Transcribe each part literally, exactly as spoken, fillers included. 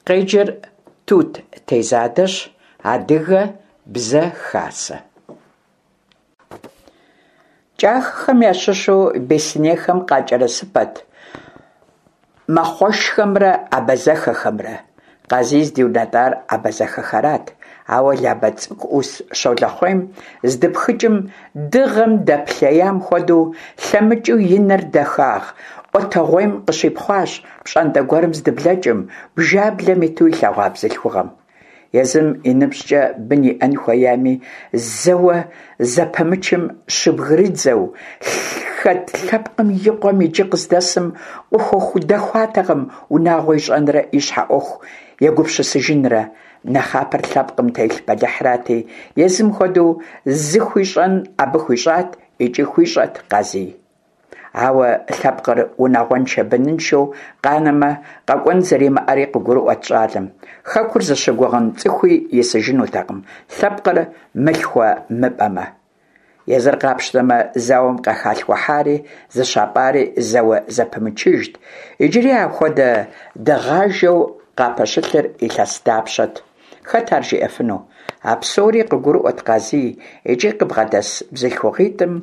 Къеджэр Тут Тезадэщ. Адыгэ Бзэ Хасэ. КӀахэхэм ящыщу беслъэнейхэм къакӀэрысыпэт мэхъуэшхэмрэ абазэхэхэмрэ. Къазий здиунэтӀар абазэхэхэрат, ауэ Лабэ цӀыкӀу Ӏус Щолэхъуейм здыпхыкӀым, дыгъэм дэплъеям хуэдэу, лъэмыкӀыу и нэр дахагъ Ӏуэтэгъуейм къыщипхъуащ пщӀантӀэ гуэрым здыблэкӀым, бжаблэм иту илъэгъуа бзылъхугъэм. Езым и ныбжькӀэ бын иӀэн хуеями, зэуэ зэпымычым щыбгрыдзэу хэт лъэпкъым и къуэм иджы къыздэсым къыхудэхуатэкъым унагъуэ ищӀэнрэ и щхьэ Ӏуэху егупсысыжынрэ. Нэхъапэр лъэпкъым телъ бэлыхьырати, езым хуэдэу зыхуищӀэн абы хуищӀат икӀи хуищӀэт Къазий. Ауэ лъэпкъыр унагъуэншэ-быныншэу къанэмэ, къэкӀуэн зэримыӀэри къыгурыӀуэт щӀалэм. Хэкур зыщыгугъын цӀыхуи исыжынутэкъым, лъэпкъыр мылъхуэ-мыпӀэмэ. Езыр къапщтэмэ, зауэм къыхалъхухьари зыщапӀари зэуэ зэпымычыжт. Иджыри апхуэдэ дыгъажэу къапэщылъыр илъэс дапщэт? Хэт ар жиӀэфыну? А псори къыгурыӀуэт Къазий икӀи къыбгъэдэс бзылъхугъитӀым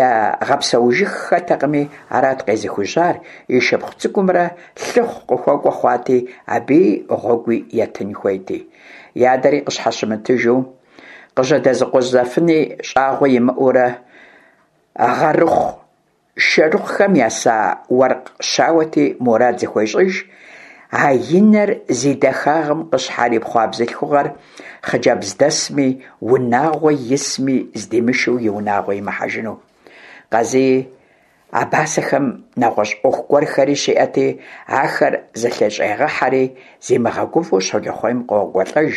ягъэпсэужыххэтэкъыми, арат къезыхужьар, и шыпхъу цӀыкӀумрэ лъыхъу къыхуэкӀуэ хъуати, абыи гъуэгуи етын хуейти. И адэри къыщхьэщымытыжу, къыжьэдэзыкъузэфыни щӀагъуэ имыӀэурэ, гъэрыхъу-шэрыхъухэм еса уэркъ щауэти, мурад зыхуещӀыж а и нэр зи дахагъым къыщхьэрипхъуа бзылъхугъэр хъыджэбздэсми, унагъуэ исми здимышэу и унагъуэ имыхьэжыну. Къазий абазэхэм нэгъуэщӀ Ӏуэху гуэрхэри щиӀэти, ахэр зэлъыщӀегъэхьэри, зимыгъэгувэу Щолэхъуейм къокӀуэлӀэж.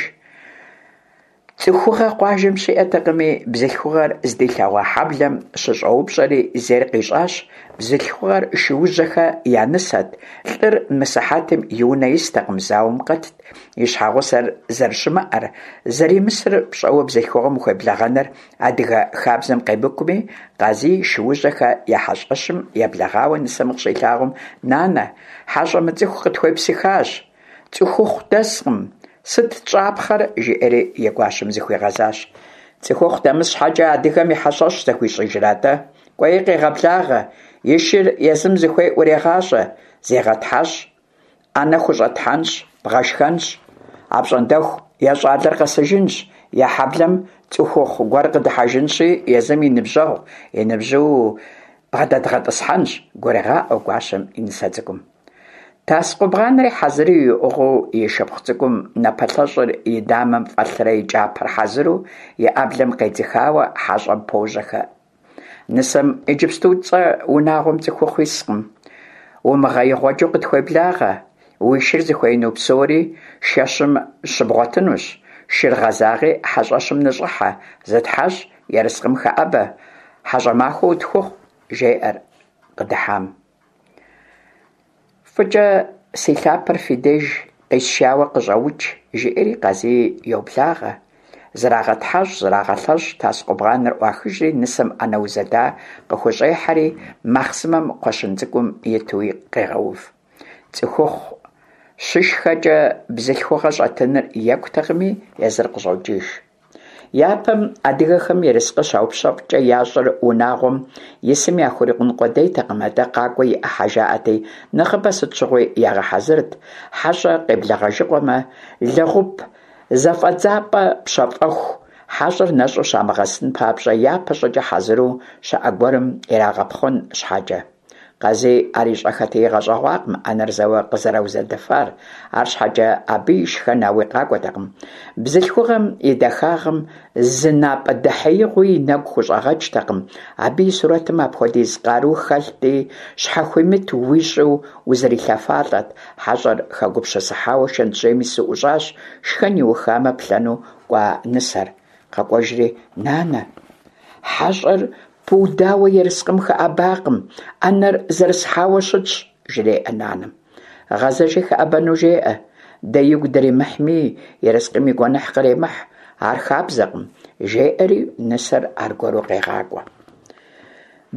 ЦӀыхугъэ къуажэм щиӀэтэкъыми, бзылъхугъэр здилъэгъуа хьэблэм щыщӀэупщӀэри, зейр къищӀащ. Бзылъхугъэр Шуужьэхэ я нысэт, лӀыр мысыхьэтым и унэ истэкъым, зауэм къэтт. И щхьэгъусэр зэрыщымыӀэр, зэримысыр пщӀэуэ бзылъхугъэм ухуеблэгъэныр адыгэ хабзэм къемыкӀуми, Къазий Шуужьэхэ я хьэщӀэщым еблэгъауэ нысэм къыщилъагъум, «Нанэ, хьэщӀэ мыцӀыху къытхуепсыхащ, цӀыхухъу дэскъым, сыт тщӀапхъэр?» жиӀэри и гуащэм зыхуигъэзащ. ЦӀыхухъу дэмыс щхьэкӀэ адыгэм и хьэщӀэщ зэхуищӀыжрэ-тӀэ? КӀуэи къегъэблагъэ, и шыр езым зыхуей ӀурегъащӀэ, зегъэтхьэщӀ, Ӏэнэ хущӀэтхьэнщ, бгъэшхэнщ. АпщӀондэху е щӀалэр къэсыжынщ, е хьэблэм цӀыхухъу гуэр къыдыхьэжынщи, езым и ныбжьэгъу, и ныбжьу бгъэдэдгъэтӀысхьэнщ, гурегъаӀуэ гуащэм и нысэ цӀыкӀум. Тас къубгъанри хьэзыру иӀыгъыу, и шыпхъу цӀыкӀум напэлъэщӀыр и дамэм фӀэлърэ и кӀапэр хьэзыру и Ӏэблэм къедзыхауэ хьэщӀэм пожьэхэ. Нысэм иджыпстуцӀэ унагъуэм цӀыхухъу искъым, умыгъэигъуэджэу къытхуеблагъэ, уи шыр зыхуеину псори шэщым щыбгъуэтынущ, шыр гъэзагъи хьэщӀэщым ныщӀыхьэ, зытхьэщӀ, ерыскъым хэӀэбэ, хьэщӀэ махуэ утхухъу, жеӀэр къыдыхьам. ФӀыкӀэ си лъапэр фи деж къисшауэ къыщӀэукӀ, жиӀэри Къазий йоблагъэ. ЗрагъэтхьэщӀ, зрагъэлъэщӀ, тас къубгъаныр Ӏуахыжри, нысэм Ӏэнэ узэда къыхущӀехьэри, махъсымэм кхъуэщын цӀыкӀум итуи къегъэув. ЦӀыхухъу щышхэкӀэ бзылъхугъэ щӀэтыныр екӀутэкъыми, езыр къыщӀокӀыж. Япэм адыгэхэм ерыскъы щаупщэфӀкӀэ ящӀыр унагъуэм исым яхурикъун къудейтэкъым, атӀэ къакӀуэ и Ӏыхьэ жаӀэти, нэхъыбэ сыт щыгъуи ягъэхьэзырт, хьэщӀэ къеблэгъэжыгъуэмэ, лэгъуп зэфӀэдзапӀэ пщэфӀэху, хьэщӀэр нэщӀу щамыгъэсын папщӀэ, япэ щӀыкӀэ хьэзыру щыӀэ гуэрым ирагъэпхъуэн щхьэкӀэ. Къазий ар ищӀэххэти игъэщӀэгъуакъым Ӏэнэр зэуэ къызэраузэдыфар, арщхьэкӀэ абы и шхэн ауи къакӀуэтэкъым. Бзылъхугъэм и дахагъым зы напӀэ дэхьеигъуи и нэгу хущӀэгъэкӀтэкъым, абы и сурэтым апхуэдиз къару хэлъти, щхьэхуимыт уищӀу узэрилъэфалӀэт. ХьэщӀэр хэгупсысыхьауэ шэнтжьейм ису ӀущӀащ шхэн иухамэ плъэну кӀуа нысэр. КъэкӀуэжри, «Нанэ, хьэщӀэр пыудауэ ерыскъым хэӀэбакъым, Ӏэнэр зэрысхьауэ щытщ», жреӀэ нанэм. «Гъэзэжи хэӀэбэну жеӀэ, дэ игу дримыхьми, ерыскъым и гуэныхь къремыхь, ар хабзэкъым», жеӀэри нысэр аргуэру къегъакӀуэ.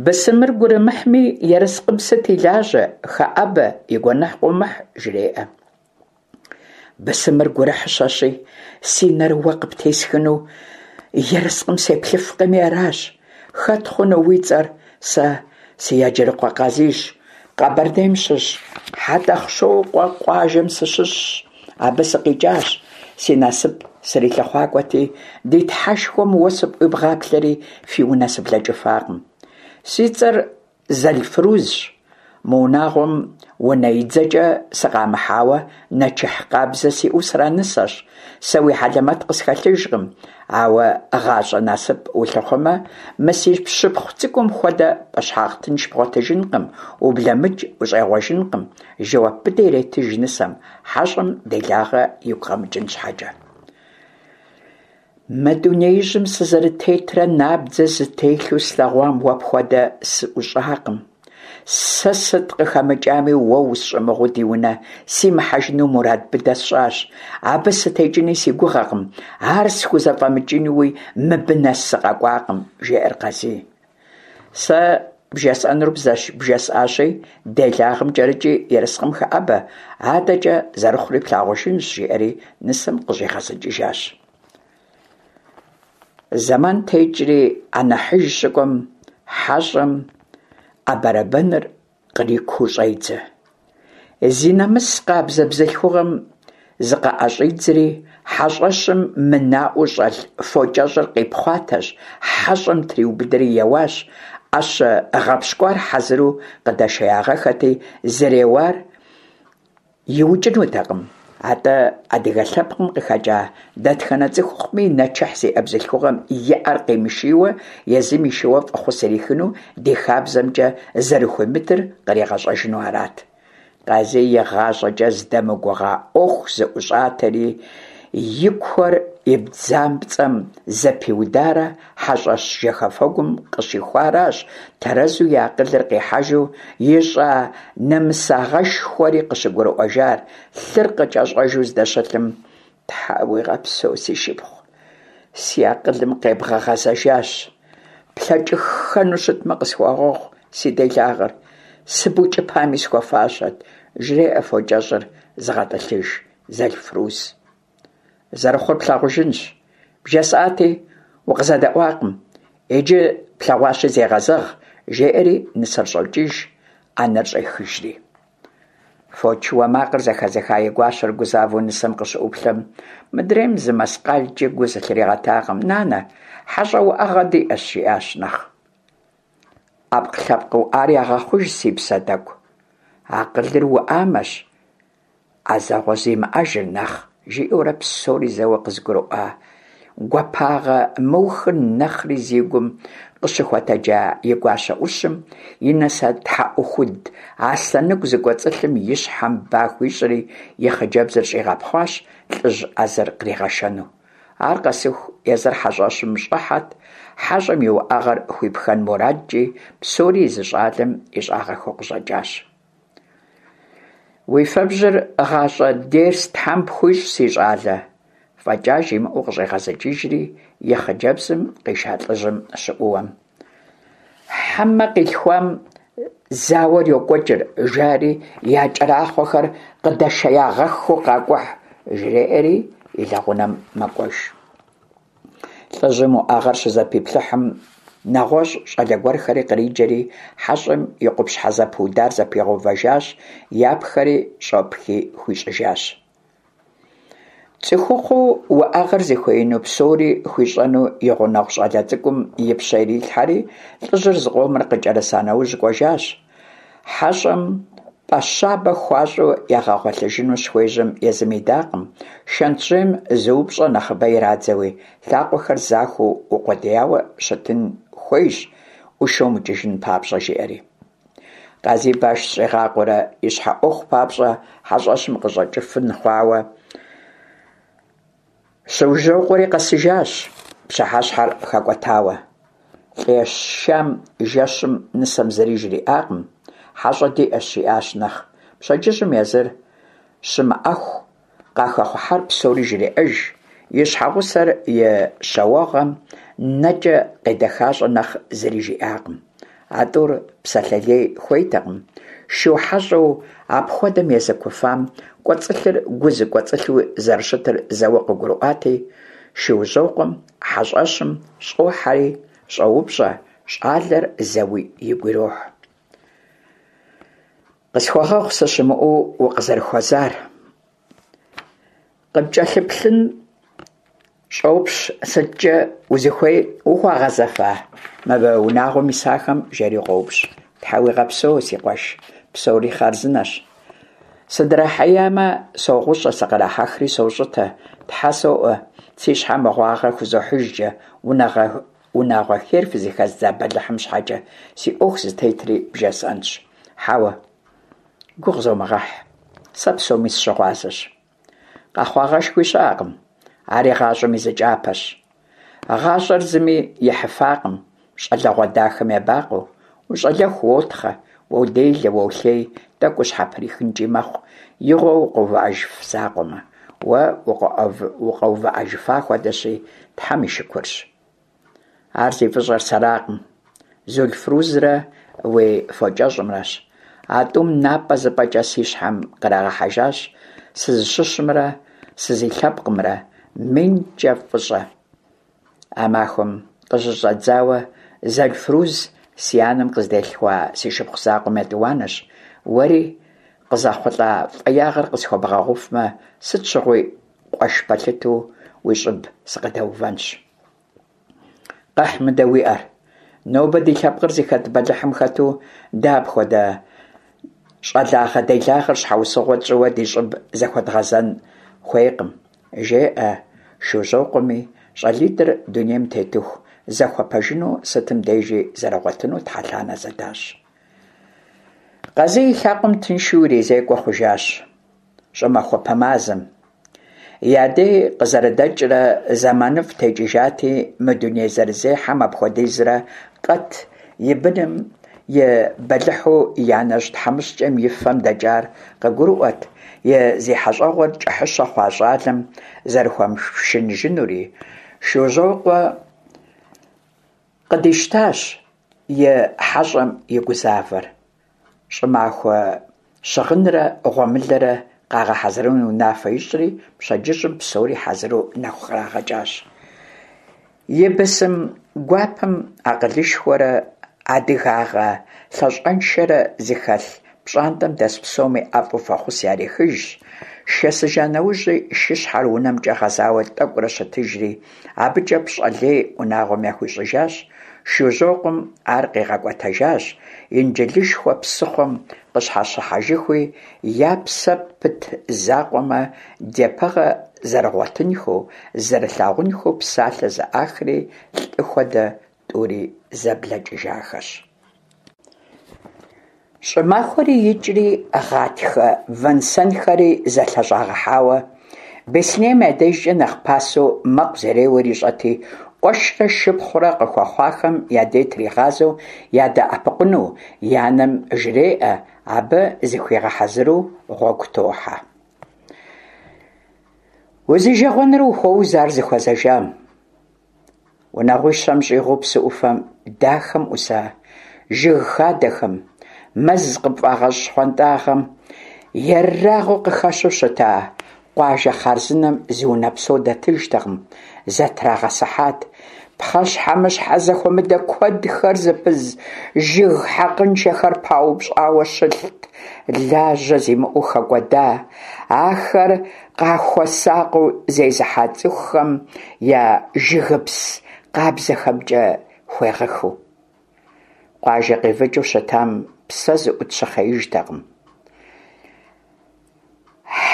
Бысымыр гурымыхьми, ерыскъым сыт и лажьэ, хэӀэбэ, и гуэныхь къыумыхь, жреӀэ. Бысымыр гурыхьыщэщи, си нэр уэ къыптесхыну ерыскъым сеплъыфкъыми аращ. Хэт хъуну уи цӀэр? Сэ сы-Еджэрыкъуэ Къазийщ, Къэбэрдейм щыщ ХьэтӀохъущокъуэ къуажэм сыщыщщ, абы сыкъикӀащ. Си насып срилъыхъуакӀуэти, ди Тхьэшхуэм уэ сыпӀуибгъаплъэри, фи унэ сыблэкӀыфакъым. Си цӀэр Зэлфрузщ. Мы унагъуэм унэидзэкӀэ сыкъамыхьауэ, нэчыхь къабзэ сиӀэу сранысэщ. Сэ уи хьэлэмэт къысхэлъыжкъым, ауэ гъащӀэ насып улъыхъуэмэ, мы си шыпхъу цӀыкӀум хуэдэ пӀэщхьагъ тынш бгъуэтыжынкъым, ублэмыкӀ ущӀегъуэжынкъым, – жэуап быдэ иретыж нысэм, хьэщӀэм делагъэ игу къэмыкӀын щхьэкӀэ. Мы дунеижьым сызэрытетрэ набдзэ зытелъу слъэгъуам уэ пхуэдэ сыӀущӀакъым. Сэ сыт къыхэмыкӀами, уэ усщӀымыгъуу ди унэ симыхьэжыну мурад быдэ сщӀащ. Абы сытекӀыни си гугъэкъым, ар схузэфӀэмыкӀынуи мыбы нэс сыкъэкӀуакъым, – жеӀэр Къазий. Сэ бжесӀэнур бжесӀащи, делагъэм кӀэрыкӀи ерыскъым хэӀэбэ, адэкӀэ зэрыхъури плъагъужынщ, – жиӀэри нысэм къыщӀигъэзыкӀыжащ. Зэман текӀри, Ӏэнэхьыж щыкӀуэм, хьэщӀэм Ӏэбэрэбыныр кърикуу щӀедзэ. Зи нэмыс къабзэ бзылъхугъэм зыкъыӀэщӀидзри, хьэщӀэщым мынаӀуэу щӀэлъ фокӀэщӀыр къипхъуатэщ, хьэщӀэм триубыдэри еуащ. Ӏэщэ гъэпщкӀуар хьэзыру къыдэшеягъэххэти, зэреуар иукӀынутэкъым, атӀэ адыгэ лъэпкъым къыхэкӀа дэтхэнэ цӀыхухъуми нэчыхь зиӀэ бзылъхугъэм и Ӏэр къимышийуэ езым ишийуэ фӀэхъус ирихыну ди хабзэмкӀэ зэрыхуимытыр къригъэщӀэжыну арат. Къазий игъащӀэкӀэ здэмыгугъа Ӏуэху зыӀущӀатэри, и куэр и бдзапцӀэм зэпиударэ хьэщӀэщ жэхэфэгум къыщихуаращ тэрэзу и акъылыр къихьэжу ищӀа нэмысагъэшхуэри къыщыгурыӀуэжар, лъыр къыкӀэщӀэжу здэщылъым. Тхьэ уигъэпсэу, си шыпхъу, си акъылым къебгъэгъэзэжащ. ПлъэкӀыххэну щытмэ, къысхуэгъэгъу си делагъэр, сыбукӀыпами схуэфащэт, жреӀэ фокӀэщӀыр зыгъэтӀылъыж Зэлфруз. Зэрыхъур плъагъужынщ. БжесӀати, укъызэдэӀуакъым. Иджы плъэгъуащи зегъэзэгъ, жеӀэри нысэр щӀокӀыж, Ӏэнэр щӀехыжри. Фочыуэ макъыр зэхэзыха и гуащэр гузавэу нысэм къыщыӀуплъэм, мыдрейм зы мэскъалкӀи гу зылъригъэтакъым. «Нанэ, хьэщӀэ уӀэгъэ диӀэщ», – жиӀащ нэхъ. Ӏэпкълъэпкъ уӀар ягъэхъуж, си псэ тӀэкӀу, акъылыр уӀамэщ Ӏэзэгъуэ зимыӀэжыр нэхъ, жиӀэурэ псори зэуэ къызыгурыӀуа, гуапагъэ мыухыр нэхъри зи гум къыщыхуэтэджа и гуащэ Ӏущым и нысэ тхьэӀухуд аслъэныгу зыкӀуэцӀылъым и щхьэм ба хуищӀри, и хъыджэбзыр щӀигъэпхъуащ лӀыжь Ӏэзэр къригъэшэну. Ар къэсыху езыр хьэщӀэщым щӀыхьэт, хьэщӀэм и уӀэгъэр хуипхэн мурадкӀи, псори езы щӀалэм ищӀагъэххэу къыщӀэкӀащ. Уи фэбжьыр гъащӀэ дерс тхьэм пхуищӀ, си щӀалэ, фӀэкӀа жимыӀэу къыщӀигъэзыкӀыжри, и хъыджэбзым къиша лӀыжьым щыӀууэм: «Хьэмэ къилъхуам зауэр йокӀуэкӀыр», жари я кӀэрахъуэхэр къыдэшеягъэххэу къакӀухь, жреӀэри и лэгъунэм мэкӀуэж. ЛӀыжьым уӀэгъэр щызэпиплъыхьым, нэгъуэщӀ щӀалэ гуэрхэри къриджэри, хьэщӀэм и къупщхьэ зэпыудар зэпигъэувэжащ, япхэри щӀэпхи хуищӀыжащ. ЦӀыхухъуу уӀэгъэр зыхуеину псори хуищӀэну и гъунэгъу щӀалэ цӀыкӀум и пщэ ирилъхьэри, лӀыжьыр зыкъомрэ къыкӀэрыса нэужь кӀуэжащ. ХьэщӀэм пӀэ щабэ хуащӀу ягъэгъуэлъыжыну щыхуежьэм, езым идакъым, шэнтжьейм зы упщӀэ нэхъыбэ ирадзэуи, лъакъуэхэр захуэу укъуэдияуэ щытын хуейщ, Ӏушэ умыкӀыжын папщӀэ, жиӀэри. Къазий баш зыщӀигъакъуэрэ и щхьэ Ӏуэху папщӀэ хьэщӀэщым къыщӀэкӀыфын хъуауэ, Щыужьрокъуэри къэсыжащ, пщыхьэщхьэр хэкӀуэтауэ. ЛӀы ешам жэщым нысэм зыри жриӀакъым, хьэщӀэ диӀэщ, жиӀащ нэхъ. Пщэдджыжьым езыр щымыӀэху къахэхъухьар псори жреӀэж, и щхьэгъусэр и щауэгъум нэкӀэ къедэхащӀэ нэхъ зыри жиӀакъым. А тӀур псалъэ лей хуейтэкъым. Шу хьэщӀэу апхуэдэм езыкуфам кӀуэцӀылъыр гу зыкӀуэцӀылъу зэрыщытыр зэуэ къыгурыӀуати, Шужьокъуэм хьэщӀэщым щӀохьэри щӀоупщӀэ, щӀалэр зэуи игу ирохь. Къысхуэгъэгъу сыщымыӀэу укъызэрыхуэзар. КъыпкӀэлъыплъын щӀопщ сыткӀэ узыхуей ухуагъэзэфа мыбы унагъуэм исахэм? – жери къоупщӀ. Тхьэ уигъэпсэу, си къуэш, псори хъарзынэщ. Сыдрахьеямэ, согъущӀэ, сыкърахьэхри сощӀытэ. Тхьэ соӀуэ, си щхьэ мыгъуагъэ хузохьыжкӀэ, унагъуэ хейр фызыхэздза бэлыхьым щхьэкӀэ, си Ӏуэху зытетри бжесӀэнщ. Хьэуэ, гугъу зомыгъэхь, сэ псоми сыщыгъуазэщ. Къэхъуагъэшхуи щыӀэкъым, ари гъащӀэм и зы кӀапэщ. ГъащӀэр зыми ихьыфакъым, щӀалэгъуэ дахэм ебакъуэу. УщӀалэху уотхъэ, уоделэ, уолъей, тӀэкӀу ущхьэприхынкӀи мэхъу, игъуэу укъэувыӀэжыф закъуэмэ. Уэ укъэувыӀэжыфа хуэдэщи, Тхьэм и шыкурщ. Ар зи фӀыщӀэр сэракъым, Зулфрузрэ уи фокӀэщӀымрэщ. А тӀум напӀэ-зыпӀэкӀэ си щхьэм кърагъэхьэжащ сызыщыщымрэ сызилъэпкъымрэ. МинкӀэ фӀыщӀэ. А махуэм къыщыщӀэдзауэ Зэлфруз си анэм къыздилъхуа си шыпхъу закъуэм етӀуанэщ. Уэри къызэхъулӀа фӀеягъэр къысхуэбгъэгъуфмэ, сыт щыгъуи къуэш пэлъытэу уи щӀыб сыкъыдэувэнщ. Къэхь мыдэ уи Ӏэр. Нобэ ди лъэпкъыр зыхэт бэлыхьым хэту дэ апхуэдэ щӀалагъэ-делагъэр щхьэусыгъуэ тщӀыуэ ди щӀыб зэхуэдгъэзэн хуейкъым, жеӀэ Шужьокъуэми, щӀалитӀыр дунейм тетыху зэхуэпэжыну, сытым дежи зэрыгъуэтыну тхьэлъанэ зэдащӀ. Къазий и лъакъуэм тыншу иризекӀуэ хъужащ щӀымахуэпэ мазэм. Я дей къызэрыдэкӀрэ зэманыфӀ текӀыжати, мы дуней зэрызехьэм апхуэдизрэ къэт и быным и бэлыхьу и анэжь тхьэмыщкӀэм и фэм дэкӀар къыгурыӀуэт, и зи хьэщӀэгъуэр кӀыхьыщэ хъуа щӀалэм зэрыхуэмыпшыныжынури. Шужьокъуэ къыдищтащ и хьэщӀэм и гузавэр. ЩӀымахуэ щыгъынрэ гъуэмылэрэ къагъэхьэзырыну унафэ ищӀри, пщэдджыжьым псори хьэзыру нэху кърагъэкӀащ. И бысым гуапэм, акъылышхуэрэ адыгагъэ лъащӀэншэрэ зыхэлъ пщӀантӀэм дэс псоми ӀэфӀу фӀэхъус ярихыжщ, шэсыжа нэужьи шыщхьэр унэмкӀэ гъэзауэ тӀэкӀурэ щытыжри, абыкӀэ пщӀэ лей унагъуэм яхуищӀыжащ. Шужьокъуэм ар къигъэкӀуэтэжащ, Инджылышхуэ псыхъуэм къыщхьэщыхьэжыхуи, я псэ пыт закъуэмэ, дяпэгъэ зэрыгъуэтынхэу, зэрылъагъунхэу псалъэ зэӀахри, лӀы хуэдэ тӀури зэблэкӀыжахэщ. ЩӀымахуэри икӀри, гъатхэ вэн-сэнхэри зэлъэщӀагъэхьауэ, Беслъэнейм я дежкӀэ нэхъ пасэу мэкъу зэреуэр ищӀэти, къуэшрэ шыпхъурэ къыхуэхъуахэм я дей тригъазэу ядэӀэпыкъуну и анэм жреӀэ, абы зыхуигъэхьэзыру гъуэгу тохьэ. Узижэгъуэныр ухуоуз ар зыхуэзэжам. Унагъуищэм щӀигъуу псы Ӏуфэ дахэм Ӏуса жыг хадэхэм, мэз къыпфӀагъэщӀ щхъуантӀагъэм ерагъыу къыхэщу щыта къуажэ хъарзынэм зы унэ псо дэтыжтэкъым, зэтрагъэсыхьат. Пхъэщхьэмыщхьэ зэхуэмыдэ куэдхэр зыпыз жыг хьэкъыншэхэр паупщӀауэ щылът, лажьэ зимыӀэу хэкӀуэда, ахэр къахуэсакъыу зезыхьа цӀыхухэм я жыгыпс къабзэхэмкӀэ хуегъыхыу. Къуажэ къивыкӀыу щытам псэ зыӀут щыхъеижтэкъым.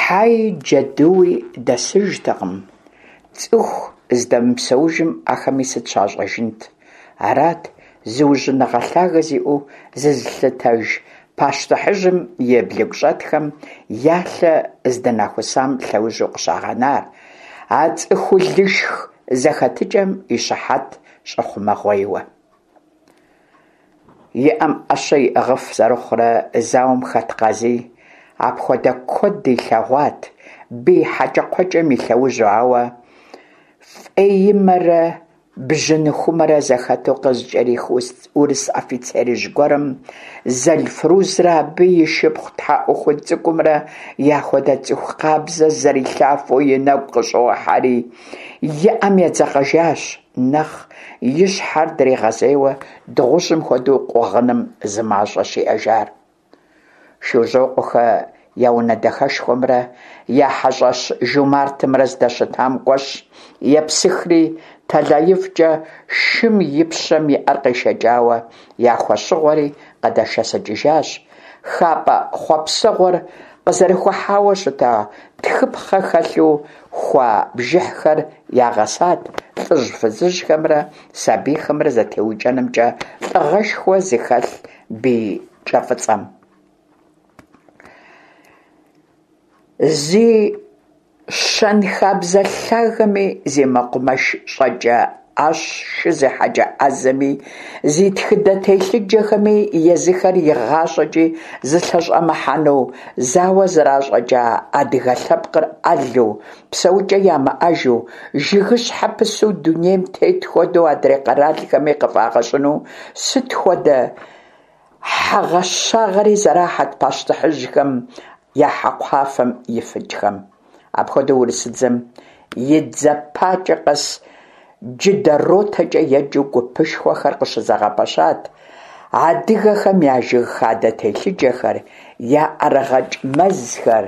Хьэи джэдуи дэсыжтэкъым, цӀыху здэмыпсэужым ахэми сыт щащӀэжынт? Арат зыужьыныгъэ лъагэ зиӀэу зызылъытэж пащтыхьыжьым и блыгущӀэтхэм я лъэ здынахусам лъэужьу къыщагъэнар, а цӀыхулышх зэхэтыкӀэм и щыхьэт щӀэхъумэгъуейуэ. И Ӏэм Ӏэщэ иӀыгъыф зэрыхъурэ зауэм хэт Къазий апхуэдэ куэд илъэгъуат бий хьэкӀэкхъуэкӀэм и лъэужьу, ауэ фӀеимэрэ бжьыныхумэрэ зэхэту къызыкӀэрих урыс офицерыжь гуэрым Зэлфрузрэ абы и шыпхъу тхьэӀухуд цӀыкӀумрэ яхуэдэ цӀыху къабзэ зэрилъафэу и нэгу къыщӀохьэри, и Ӏэм едзэкъэжащ, нэхъ и щхьэр дригъэзейуэ дыгъужьым хуэдэу къугъыным зымащӀэщ иӀэжар. Шужьокъуэхэ я унэ дахэшхуэмрэ я хьэщӀэщ жумартымрэ здэщытам кӀуэщ, епсыхри, тэлаифӀкӀэ шым и пщэм и Ӏэр къешэкӀауэ яхуэщыгъуэри къыдэшэсыкӀыжащ, хапӀэ хъуэпсэгъуэр къызэрыхухьауэ щыта тхыпхъэ хэлъу хуа бжыхьхэр ягъэсат лӀыжь-фызыжьхэмрэ сабийхэмрэ зэтеукӀэнымкӀэ лӀыгъэшхуэ зыхэлъ бий кӀэфӀыцӀэм. Зи щэнхабзэ лъагэми, зи мэкъумэш щӀэкӀэ, Ӏэщ, шы зехьэкӀэ Ӏэзэми, зи тхыдэ телъыджэхэми езыхэр игъащӀэкӀи зылъэщӀэмыхьэну зауэ зращӀэкӀа адыгэ лъэпкъыр Ӏэлу, псэукӀэ ямыӀэжу, жыгыщхьэ пысу дунейм тет хуэдэу адрей къэралхэми къыфӀагъэщӀыну сыт хуэдэ хьэгъэщагъэри зэрахьэрт пащтыхьыжьхэм я хьэкхъуафэм ифыкӀхэм. Апхуэдэу урысыдзэм и дзэ пакӀэ къэс джыдэ ротэкӀэ еджэу гупышхуэхэр къыщызэгъэпэщат, адыгэхэм я жыг хадэ телъыджэхэр, я ӀэрыгъэкӀ мэзхэр,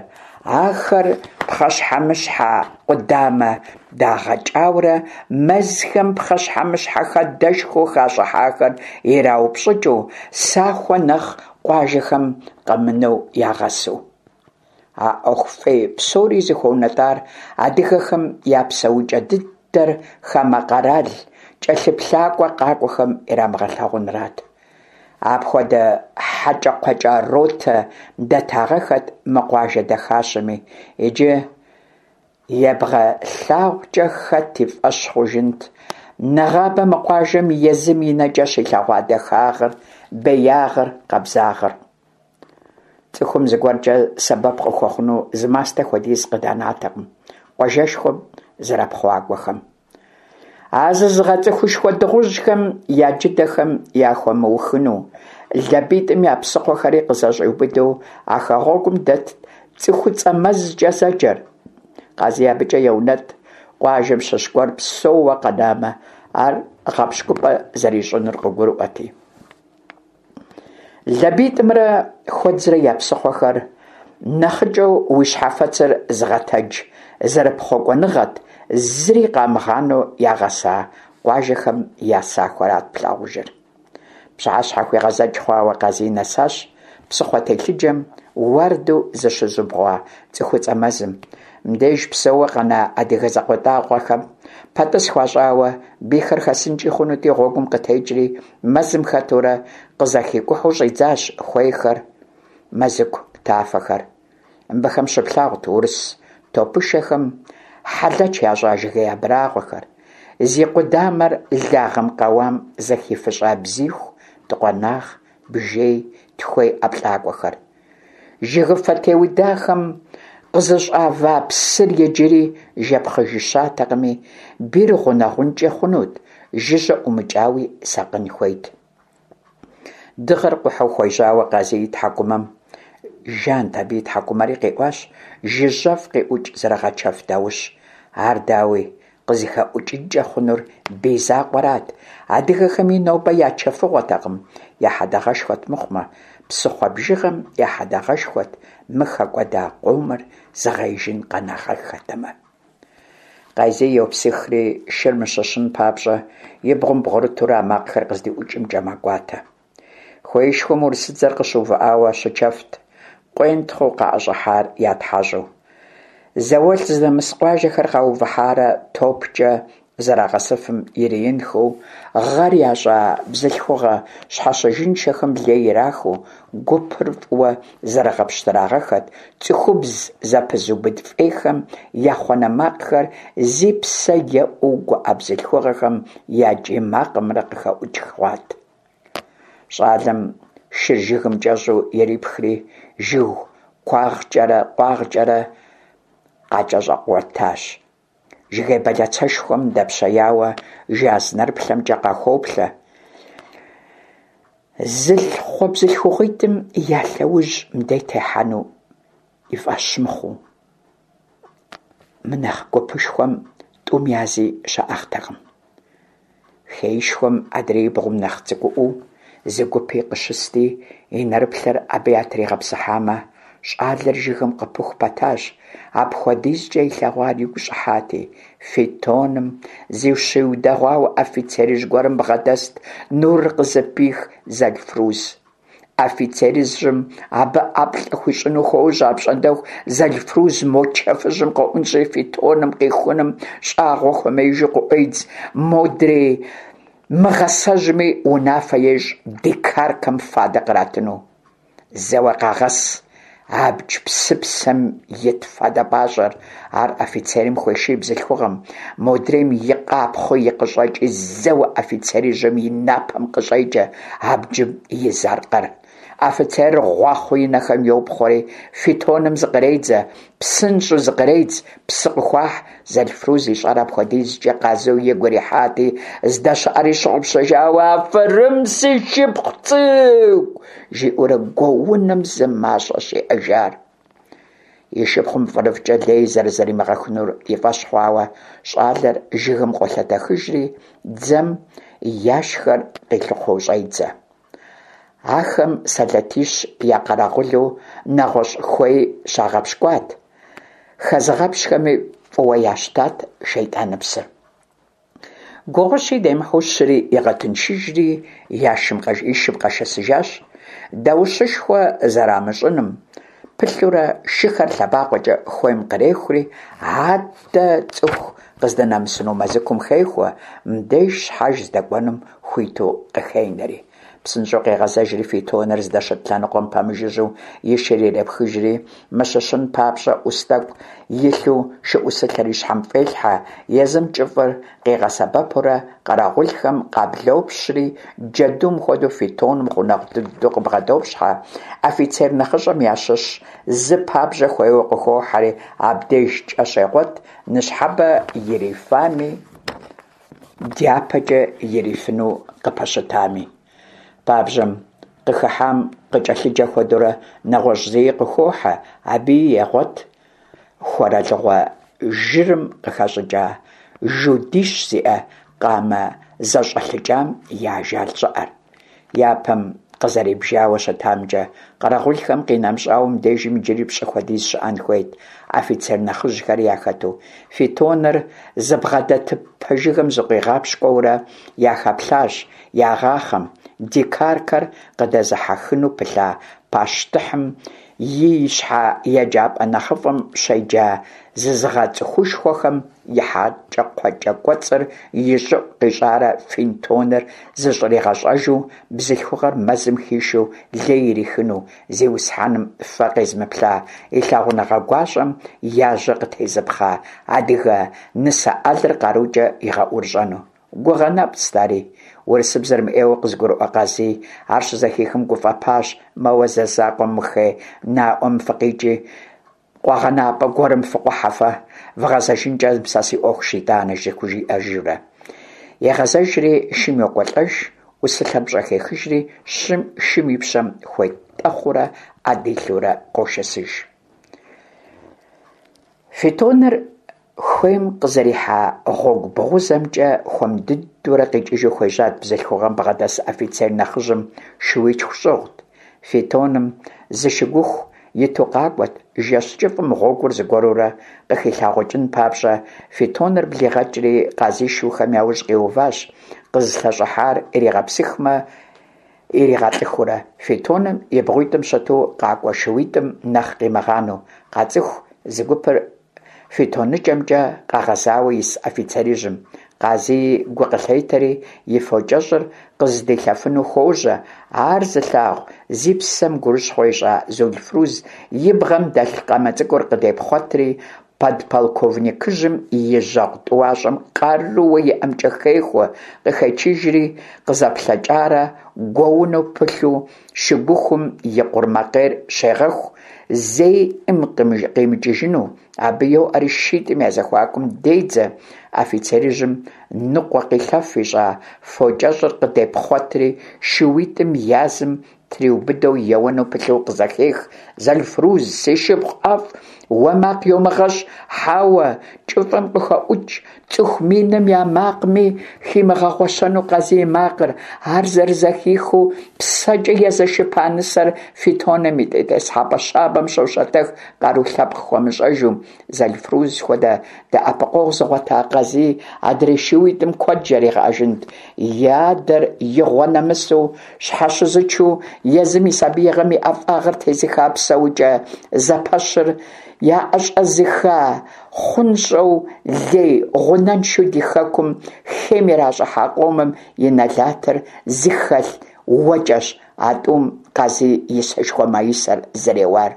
ахэр пхъэщхьэмыщхьэ къудамэ дагъэкӀаурэ, мэзхэм пхъэщхьэмыщхьэ хадэшхуэу хащӀыхьахэр ираупщӀыкӀыу, сахуэ нэхъ къуажэхэм къэмынэу ягъэсу. А Ӏуэху фӀей псори зыхуэунэтӀар адыгэхэм я псэукӀэ дыдэр хамэ къэрал кӀэлъыплъакӀуэ къакӀуэхэм ирамыгъэлъагъунрат. Апхуэдэ хьэкӀэкхъуэкӀэ ротэ дэтагъэххэт мы къуажэ дахащэми, иджы ебгъэлъагъукӀэ хэт и фӀэщ хъужынт нэгъабэ мы къуажэм езым и нэкӀэ щилъэгъуа дахагъыр, беягъыр, къабзагъыр. ЦӀыхум зыгуэркӀэ сэбэп къыхуэхъуну зы мастэ хуэдиз къыданатэкъым къуажэшхуэм зэрыпхъуакӀуэхэм. А зызыгъэцӀыхушхуэ дыгъужьхэм я джыдэхэм яхуэмыухыну, ЛабитӀым я псыхъуэхэри къызэщӀиубыдэу а хэгъуэгум дэтт ЦӀыхуцӀэ мэзкӀэ зэджэр. Къазий абыкӀэ еунэтӀ, къуажэм щыщ гуэр псэууэ къэнамэ, ар гъэпщкӀупӀэ зэрищӀынур къыгурыӀуэрти. ЛабитӀымрэ Хуэдзрэ я псыхъуэхэр нэхъыкӀэу уи щхьэфэцыр зыгъэтэдж зэрыпхъуакӀуэныгъэт, зыри къамыгъанэу ягъэса къуажэхэм я сахуэрат плъагъужыр. ПщыхьэщхьэхуегъэзэкӀ хъуауэ Къазий нэсащ псыхъуэ телъыджэм уардэу зыщызубгъуа ЦӀыхуцӀэ мэзым. Мыбдеж псэууэ къэна адыгэ закъуэтӀакъуэхэм пэтӀыс хуащӀауэ, бийхэр хэсынкӀи хъунути, гъуэгум къытекӀри, мэзым хэтурэ къызэхикӀухьу щӀидзащ хуейхэр, мэзыку тафэхэр. Мыбыхэм щыплъагъурт урыс топышэхэм хьэлэч ящӀа жыгей абрагъуэхэр, зи къудамэр лагъым къэуам зэхифыщӀа бзиху, дыкъуэнагъ, бжей, тхуей ӀэплӀакӀуэхэр. Жыгыфэ теудахэм къызэщӀава псыр иджыри жэпхъыжыщатэкъыми, бийр гъунэгъункӀи хъунут, жыжьэ ӀумыкӀауи сакъын хуейт. Дыгъэр къухьэу хуежьауэ Къазий и тхьэкӀумэм жант абы и тхьэкӀумэри къиӀуащ жыжьэфӀ къиӀукӀ зэрыгъэчэф даущ. Ар, дауи, къызыхэӀукӀынкӀэ хъунур бий закъуэрат, адыгэхэми нобэ я чэфыгъуэтэкъым, я хьэдэгъэшхуэт мыхъумэ, псыхъуэ бжыгъэм я хьэдэгъэшхуэт, мы хэкӀуэда къомыр зыгъеижын къэнагъэххэтэмэ. Къазий йопсыхри, шыр мыщыщын папщӀэ, и бгъум бгъурытурэ а макъхэр къыздиӀукӀымкӀэ мэкӀуатэ. Хуеишхуэм урысыдзэр къыщыувыӀауэ щычэфт, къуентхъыу къаӀэщӀыхьар ятхьэщӀу. ЗауэлӀ зыдэмыс къуажэхэр къаувыхьарэ топкӀэ зэрагъэсыфым ириинхэу, гъэр ящӀа бзылъхугъэ щхьэщыжыншэхэм лей ирахыу, гупыр фӀыуэ зэрыгъэпщтырагъэххэт, цӀыхубз зэпызубыд фӀейхэм я хъуэнэ макъхэр зи псэ еӀэу гуӀэ бзылъхугъэхэм я кӀий макъымрэ къыхэӀукӀ хъуат. ЩӀалэм шыр жыгым кӀэщӀу ирипхри, жыг куагъкӀэрэ къуагъкӀэрэ къакӀэщӀэкӀуэтащ. Жыгей бэлацэшхуэм дэпщеяуэ жаз нэрыплъэмкӀэ къахоплъэ, зылъыхъуэ бзылъхугъитӀым я лъэужь мыбдеж техьэну и фӀэщ мыхъуу. Мынэхъ гупышхуэм тӀум язи щаӀыгътэкъым. Хеишхуэм адреибгъум нэхъ цӀыкӀуӀуэу зы гупи къыщысти, и нэрыплъэр абы ятригъэпсыхьамэ, щӀалэр жыгым къыпыху пэтащ, апхуэдизкӀэ илъэгъуар игу щӀыхьати. Фитоным зыщиудэгъуауэ офицерыжь гуэрым бгъэдэст нурыр къызыпих Зэлфруз. Офицерыжьым абы ӀэплӀэ хуищӀыну хуожьэ, апщӀондэху Зэлфруз мо чэфыжьым къоӀунщӀри фитоным къихуным щӀагъуэ хуэмеижу къыӀуедз, модрей мыгъасэжьми унафэ ещӀ дикаркэм фадэ къратыну. Зэуэ къагъэс абдж псыпсэм ит фадэ пӀащӀэр. Ар офицерым хуеший бзылъхугъэм, модрейм и къапхъуи и къыщӀэкӀи зэуэ офицерыжьым и напэм къыщӀекӀэ абджым из аркъэр. Офицерыр гъуахъуэу и нэхэм йопхъуэри фитоным зыкъредзэ, псынщӀэу зыкъредз, псы къыхуахь. Зэлфруз ищӀар апхуэдизкӀэ Къазий игу ирихьати, здэщыӀэри щыгъупщэжауэ, «Афэрым, си шыпхъу цӀыкӀу!» жиӀэурэ гуоуным зы мащӀэщ иӀэжар. И шыпхъум фӀырыфӀкӀэ лей зэрызэримыгъэхынур и фӀэщ хъуауэ, щӀалэр жыгым къолъэтэхыжри, дзэм яшхэр къилъыхъуэу щӀедзэ. Ахэм сэлэтищ я къэрэгъулу нэгъуэщӀ хуей щагъэпщкӀуат, хэзыгъэпщхэми фӀыуэ ящтат шейтӀаныпсыр. Гугъущи демыхьу щыри игъэтыншыжри, и шым къэшэсыжащ. Даущышхуэ зэрамыщӀыным пылъурэ, шыхэр лъэбакъуэкӀэ хуейм кърехури, аддэ цӀыху къыздынэмысыну мэзыкум хехуэ, мыбдеж щхьэж здэкӀуэнум хуиту къыхенэри. ПсынщӀэу къегъэзэжри фитоныр здэщыт лъэныкъуэм пэмыжыжьэу и шыр ирепхыжри, мыщыщын папщӀэ Ӏус тӀэкӀу илъу шыӀусылъэр и щхьэм фӀелъхьэ, езым кӀыфӀыр къигъэсэбэпурэ къэрэгъулхэм къаблопщри, джэдум хуэдэу фитоным гъунэгъу дыдэу къыбгъэдопщхьэ, офицер нэхъыщӀэм ящыщ зы пабжьэ хуейуэ къыхохьэри, абдеж кӀэ щегъуэт ныщхьэбэ ирифами, дяпэкӀэ ирифыну къыпэщытами. Пабжьэм къыхыхьам къыкӀэлъыджэ хуэдэурэ нэгъуэщӀ зыи къыхохьэ, абыи егъуэт хуэрэлыгъуэ жырым къыхэщӀыкӀа, жудищ зиӀэ къамэ зэщӀэлъыкӀам и ажал щӀыӀэр. Япэм къызэрибжауэ щытамкӀэ, къэрэгъулхэм къинэмыщӀауэ, мыбдежым иджыри пщӀы хуэдиз щыӀэн хуейт, офицер нэхъыжьхэри яхэту. Фитоныр зыбгъэдэтыпэ жыгым зыкъуигъэпщкӀуурэ яхэплъащ ягъахъэм, дикаркэр къыдэзыхьэхыну пылъа пащтыхьым и ищхьэ еджапӀэ нэхъыфӀым щеджа зызыгъэцӀыхушхуэхэм и хьэкӀэкхъуэкӀэ кӀуэцӀыр и щӀыӀу къищӀарэ фитоныр зыщӀригъэщӀэжу бзылъхугъэр мэзым хишэу лей ирихыну, зиусхьэным фэ къезымыплъа и лъагъуныгъэ гуащӀэм яжьэ къытезыпхъа адыгэ нысэ Ӏэлыр къарукӀэ игъэӀурыщӀэну. Гугъэ нэпцӀт ари. Урысыбзэр мыӀейуэ къызыгурыӀуэ Къазий ар щызэхихым гуфӀэпащ, моуэ зэ закъуэ мы хей наӀуэм фыкъикӀи, къуэгъэнапӀэ гуэрым фыкъухьэ фэ, вгъэзэжынкӀэ сэ си Ӏуэхущ итӀанэ, зыхужиӀэжурэ. Егъэзэжри шым йокӀуэлӀэж, Ӏусылъэр пщӀыхехыжри, шым и пщэм хуетӀэхъуурэ Ӏэ дилъэурэ къошэсыж. Фитоныр хуейм къызэрихьа гъуэгу бгъузэмкӀэ хуэм дыдэурэ къикӀыжу хуежьат, бзылъхугъэм бгъэдэс офицер нэхъыжьым шууитху щӀыгъут. Фитоным зы шыгуху иту къакӀуэт, жэщ кӀыфӀым гъуэгур зыгуэрурэ къыхилъагъукӀын папщӀэ, фитоныр блигъэкӀри, Къазий шухэм яужь къиуващ, къызылъэщӀыхьар иригъэпсыхмэ иригъэлӀыхыурэ, фитоным и бгъуитӀым щыту къакӀуэ шууитӀым нэхъ къимыгъанэу. КъацӀыху зы гупыр фитоныкӀэмкӀэ къэгъэзауэ ис офицерыжьым. Къазий гу къылъетэри, и фокӀэщӀыр къыздилъэфыну хуожьэ, ар зылъагъу, зи псэм гурыщхъуэ ищӀа Зулфруз и бгъэм дэлъ къамэ цӀыкӀур къыдепхъуэтри, подполковникыжьым и жьэгъу тӀуащӀэм къарууэ иӀэмкӀэ хехуэ, къыхечыжри, къызэплъэкӀарэ гуэуну пылъу шыгухум и къурмакъейр щегъэху, зэи Ӏым къимыкӀыжыну, Абы йоӀэри шитӀым я зэхуакум дедзэ, офицерыжьым ныкъуэкъилъэф ищӀа фокӀэщӀыр къыдепхъуэтри, шууитӀым язым триубыдэу еуэну пылъу къызэхех: «Зэлфруз, си шыпхъу ӀэфӀ, уэ макъ йумыгъэщӀ!» Хьэуэ, кӀыфӀым къыхэӀукӀ цӀыху миным я макъми химыгъэгъуэщэну Къазий и макъыр, ар зэрызэхихыу псэкӀэ езэшыпа нысэр фитоным и тетӀысхьэпӀэ щабэм щощэтэх, къару лъэпкъ хуэмыщӀэжу. Зэлфруз хуэдэ дэӀэпыкъуэгъу зыгъуэта Къазий адрей шууитӀым куэд жаригъэӀэжынт, и адэр игъуэ нэмысу щхьэщызычу езым и сабиигъуэм и ӀэфӀагъыр тезыха псэукӀэ зэпэщыр яӀэщӀэзыха, хъунщӀэу, лей гъунэншэу ди хэкум хейм иращӀыхьа къомым я нэлатыр зыхэлъ уэкӀэщ а тӀум Къазий и сэшхуэ маисэр зэреуар.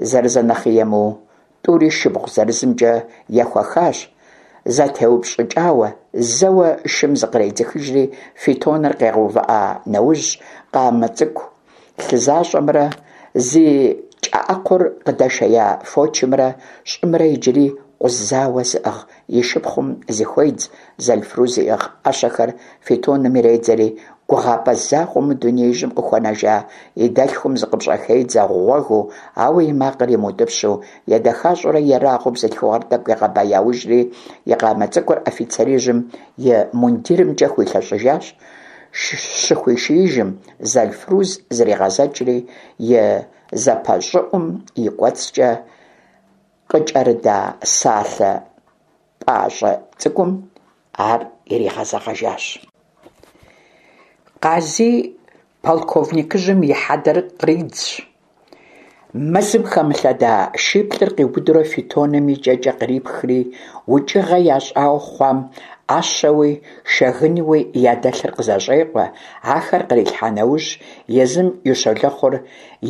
Зэрызэ нэхъи емыуэу, тӀури шыбгъу зырызымкӀэ ехуэхащ, зэтеупщӀыкӀауэ, зэуэ шым зыкъредзыхыжри, фитоныр къигъэувыӀа нэужь, къамэ цӀыкӀу лъызащӀэмрэ зи кӀэӀэкхъур къыдэшея фочымрэ щӀымрэ иджыри къузауэ зыӀыгъ и шыпхъум зыхуедз, Зэлфруз иӀыгъ Ӏэщэхэр фитоным иредзэри, гугъапӀэ закъуэу мы дунеижьым къыхуэнэжа и дэлъхум зыкъыпщӀыхедзэ гъуэгыу, ауэ и макъыр имыутӀыпщу, едэхащӀэурэ ерагъыу бзылъхугъэр тӀэкӀу егъэбэяужри, и къамэ цӀыкӀур офицерыжьым и мундирымкӀэ хуилъэщӀыжащ, щыхуишиижым, Зэлфруз зригъэзэкӀри, и зэпэщӀыӀум и кӀуэцӀкӀэ къыкӀэрыда салъэ пӀащӀэ цӀыкӀум ар иригъэзэгъэжащ. Къазий полковникыжьым и хьэдэр къридзщ, мэзым хэмылъэда шиплӀыр къиубыдурэ фитоным и кӀэкӀэ кърипхри, укӀыгъэ ящӀауэ хъуам Ӏэщэуи шэгынуи ядэлъыр къызэщӀекъуэ, ахэр кърилъхьа нэужь, езым и щолэхъур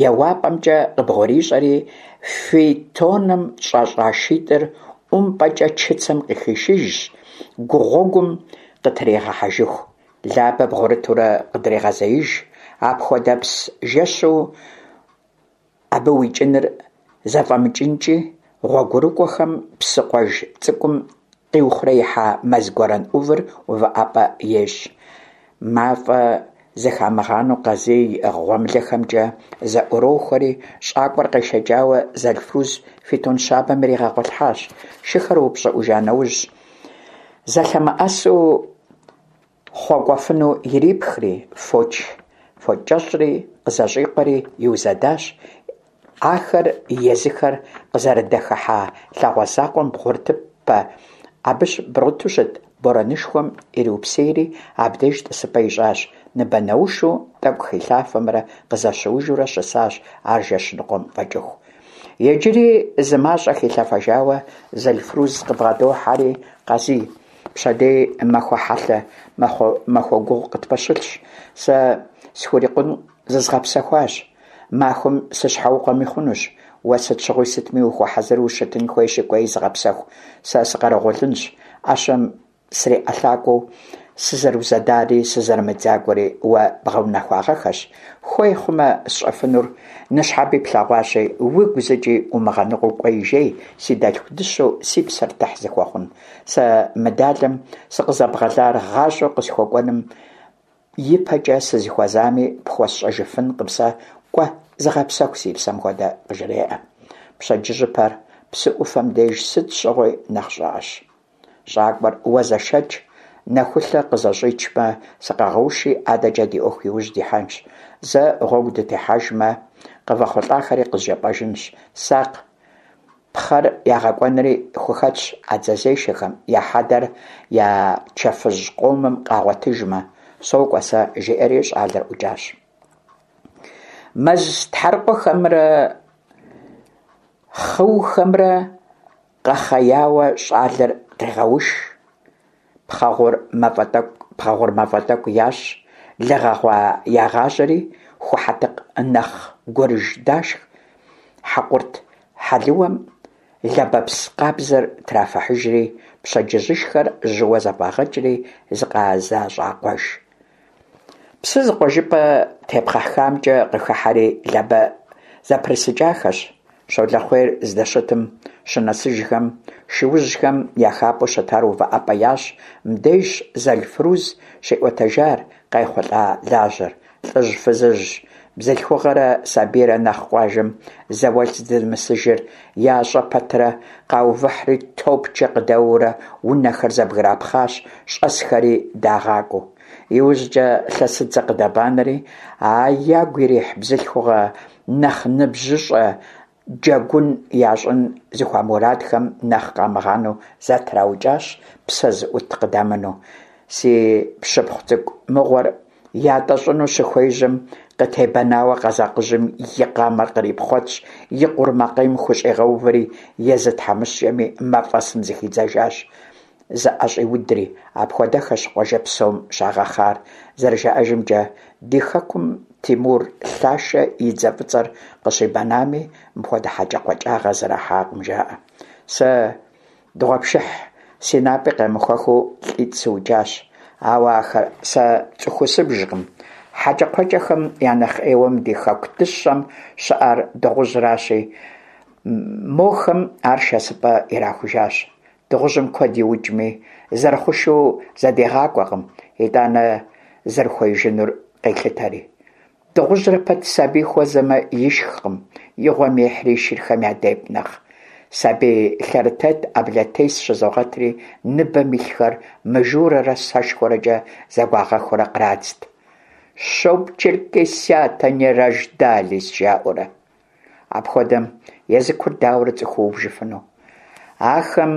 еуапӀэмкӀэ къыбгъурищӀэри, фитоным щӀэщӀа шитӀыр ӀумпӀэкӀэ чыцэм къыхишыжщ, гу гъуэгум къытригъэхьэжыху, Лабэ бгъурытурэ къыдрегъэзеиж, апхуэдэпс жэщу абы уикӀыныр зэфӀэмыкӀынкӀи, гъуэгурыкӀуэхэм псыкъуэж цӀыкӀум къиухъуреихьа мэз гуэрэн Ӏувыр увыӀэпӀэ ещӀ. МафӀэ зэхамыгъанэу Къазий иӀыгъ гъуэмылэхэмкӀэ зэӀурохуэри, щӀакӀуэр къешэкӀауэ Зэлфруз фитон щабэм иригъэгъуэлъхьащ. Шыхэр упщӀыӀужа нэужь, зэлъэмыӀэсу хъуэкӀуэфыну ирипхри, фоч кӀэщӀри къызэщӀикъуэри иузэдащ, ахэр езыхэр къызэрыдахэхьа лъагъуэ закъуэм бгъурытыпэ, абы бгъурыту щыт борэнышхуэм ириупсейри, абдеж тӀысыпӀэ ищӀащ. Ныбэнэушу тӀэкӀу хилъафэмрэ къызэщыужурэ щысащ ар жэщ ныкъуэм фӀэкӀыху. Иджыри зы мащӀэ хилъэфэжауэ, Зэлфруз къыбгъэдохьэри: «Къазий, пщэдей махуэ хьэлъэ, махуэ гугъу къытпэщылъщ. Сэ схурикъун зызгъэпсэхуащ, махуэм сыщхьэукъуэми хъунущ. Уэ сыт щыгъуи сытми ухуэхьэзыру ущытын хуейщи, кӀуэи зыгъэпсэху, сэ сыкъэрэгъулынщ. Ӏэщэм сриӀэлъакӀуэу сызэрыузэдари сызэрымыдзакӀуэри уэ бгъэунэхуагъэххэщ. Хуей хъумэ, сщӀэфынур ныщхьэби плъэгъуащи, уигу зыкӀи умыгъэныкъуэу кӀуэи жей, си дэлъху дыщэу си псэр тыхь зыхуэхъун. Сэ мы далэм сыкъызэбгъэлар гъащӀэу къысхуэкӀуэнум ипэкӀэ сызыхуэзами пхуэсщӀэжыфынкъым сэ, кӀуэ, зыгъэпсэху, си псэм хуэдэ», къыжреӀэ. Пщэдджыжьыпэр псы Ӏуфэм деж сыт щыгъуи нэхъ щӀыӀэщ. ЩӀакӀуэр уэ зэшэкӀ, нэхулъэ къызэщӀичмэ, сыкъэгъэуши, адэкӀэ ди Ӏуэху иужь дихьэнщ. Зэ гъуэгу дытехьэжмэ, къывэхъулӀахэри къызжепӀэжынщ. Сакъ, пхъэр ягъэкӀуэнри хухэтщ а дзэзешэхэм, я хьэдэр я чэфыжь къомым къагъуэтыжмэ. СокӀуэ сэ, жиӀэри щӀалэр ӀукӀащ. Мэз тхьэрыкъуэхэмрэ хъыухэмрэ къэхъеяуэ щӀалэр къегъэуш. Пхъэгъур мафӀэ тӀэкӀу ящӀ, лы гъэгъуа ягъажьэри, ху хьэтыкъ нэхъ гурыж дашх, хьэкъурт хьэлыуэм лабэпс къабзэр трафыхьыжри, пщэдджыжьышхэр жьыуэ зэфӀагъэкӀри зыкъызэщӀакъуэж. Псы зыкъуэжыпӀэ тепхъэхамкӀэ къыхыхьэри, Лабэ зэпрысыкӀахэщ. Щолэхъуейр здэщытым щынэсыжхэм, шуужьхэм я хапӀэу щытар увыӀэпӀэ ящӀ. Мыбдежщ Зэлфруз щиӀуэтэжар къайхъулӀа лажьэр: ЛӀыжь-фызыжь, бзылъхугъэрэ сабийрэ нэхъ къуажэм зауэлӀ зэрыдэмысыжыр ящӀэ пэтрэ, къаувыхьри, топкӀэ къыдэуэурэ унэхэр зэбграпхъащ, щӀэсхэри дагъакӀуэу. ИужькӀэ лъэсыдзэ къыдэбанэри, а ягу ирихь бзылъхугъэ нэхъ ныбжьыщӀэ джэгун ящӀын зыхуамурадхэм нэхъ къамыгъанэу зэтраукӀащ, псэ зыӀут къыдамынэу. Си пщыпхъу цӀыкӀу мыгъуэр ятӀэщӀыну щыхуежьэм, къытебэнауэ къэзакъыжьым и къамэр кърипхъуэтщ, и къурмакъейм хущӀигъэувэри, езы тхьэмыщкӀэми мафӀэсым зыхидзэжащ, зыӀэщӀиудри. Апхуэдэххэщ къуажэ псом щагъэхъар. ЗэрыжаӀэжымкӀэ, ди хэкум Тимур лъашэ и дзэ фӀыцӀэр къыщибэнами, мыпхуэдэ хьэкӀэкхъуэкӀагъэ зэрахьакъым, жаӀэ. Сэ дыгъуэпшыхь си напӀи къемыхуэхыу лӀитӀ сыукӀащ. Ауэ ахэр сэ цӀыхуу сыбжкъым. ХьэкӀэкхъуэкӀэхэм я нэхъ Ӏейуэ мы ди хэку дыщэм щыӀэр дыгъужьращи, мохэм ар шэсыпӀэ ирахужащ. Дыгъужьым куэд иукӀми, зэрыхъушэу зэдигъакӀуэкъым, итӀанэ зэрыхуеижынур къелъытэри. Дыгъужьрэ пэт сабий хуэзэмэ, ишхкъым, и гъуэм ехьри шырхэм ядепӀ нэхъ. Сабий лъэрытет Ӏэблэтес щызогъэтри, ныбэм илъхэр мыжурэрэ сэшхуэрэкӀэ зэгуагъэхуурэ кърадзт: «Чтоб черкесята не рождались!» жаӀэурэ. Апхуэдэм езыкур дауэрэ цӀыхуу убжыфыну? Ахэм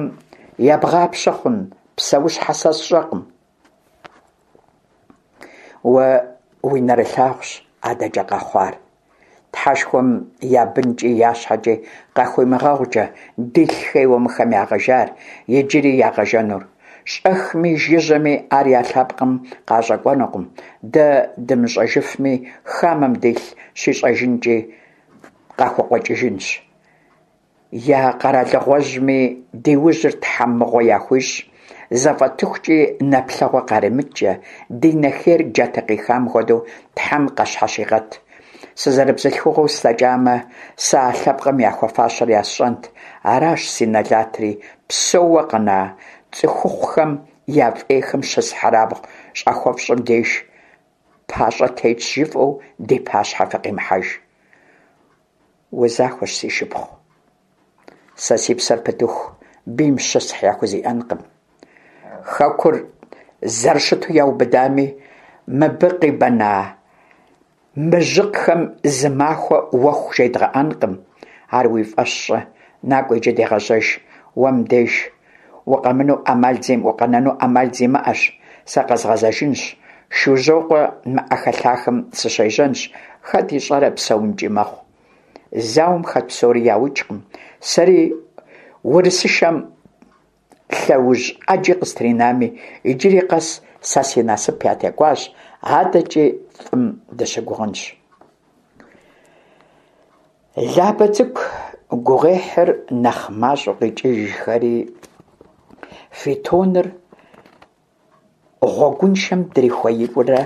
ебгъапщэ хъун псэущхьэ сэ сщӀэкъым. Уэ уи нэрылъагъущ адэкӀэ къэхъуар. Тхьэшхуэм я бынкӀи я щхьэкӀи къахуимыгъэгъукӀэ дилъ хейуэ мыхэм ягъэжар, иджыри ягъэжэнур. ЩӀэхми жыжьэми ар я лъэпкъым къащӀэкӀуэнукъым, дэ дымыщӀэжыфми, хамэм дилъ щищӀэжынкӀи къахукъуэкӀыжынщ. Я къэралыгъуэжьми ди ужьыр Тхьэм мыгъуэ яхуищӀ, зэфӀэтыхукӀи нэплъэгъуэ къаримыткӀэ, ди нэ хейр джатэ къихам хуэдэу Тхьэм къащхьэщигъэт. Сызэрыбзылъхугъэу слъэкӀамэ, сэ а лъэпкъым яхуэфащэр ясщӀэнт. Аращ си нэлатри, псэууэ къэна цӀыхухъухэм я фӀейхэм щысхьырабгъу щахуэфщӀым деж пащӀэ тетщ жыфӀэу ди пащхьэ фыкъимыхьэж. Узахуэщ, си шыпхъу. Сэ си псэр пытыху, бийм щысхь яхузиӀэнкъым. Хэкур зэрыщыту яубыдами, мыбы къибэна мыжьыкъхэм зы махуэ уэху жедгъэӀэнкъым. Ар уи фӀэщ щӀы. НакӀуэ иджы дегъэжьэж. Уэ мыбдеж укъэнэну Ӏэмал зимыӀэщ. Сэ къэзгъэзэжынщ. Шужьокъуэ мы Ӏэхэлъахэм сыщежьэнщ. Хэт ищӀэрэ, псэункӀи мэхъу. Зауэм хэт псори яукӀкъым. Сэри урысышэм лъэужь Ӏэджи къыстринами, иджыри къэс сэ си насып ятекӀуащ, адэкӀи фӀым дыщыгугъынщ. Лабэ цӀыкӀу гугъуехьыр нэхъ мащӀэу къикӀыжхэри, фитоныр гъуэгуншэм дрихуеипэурэ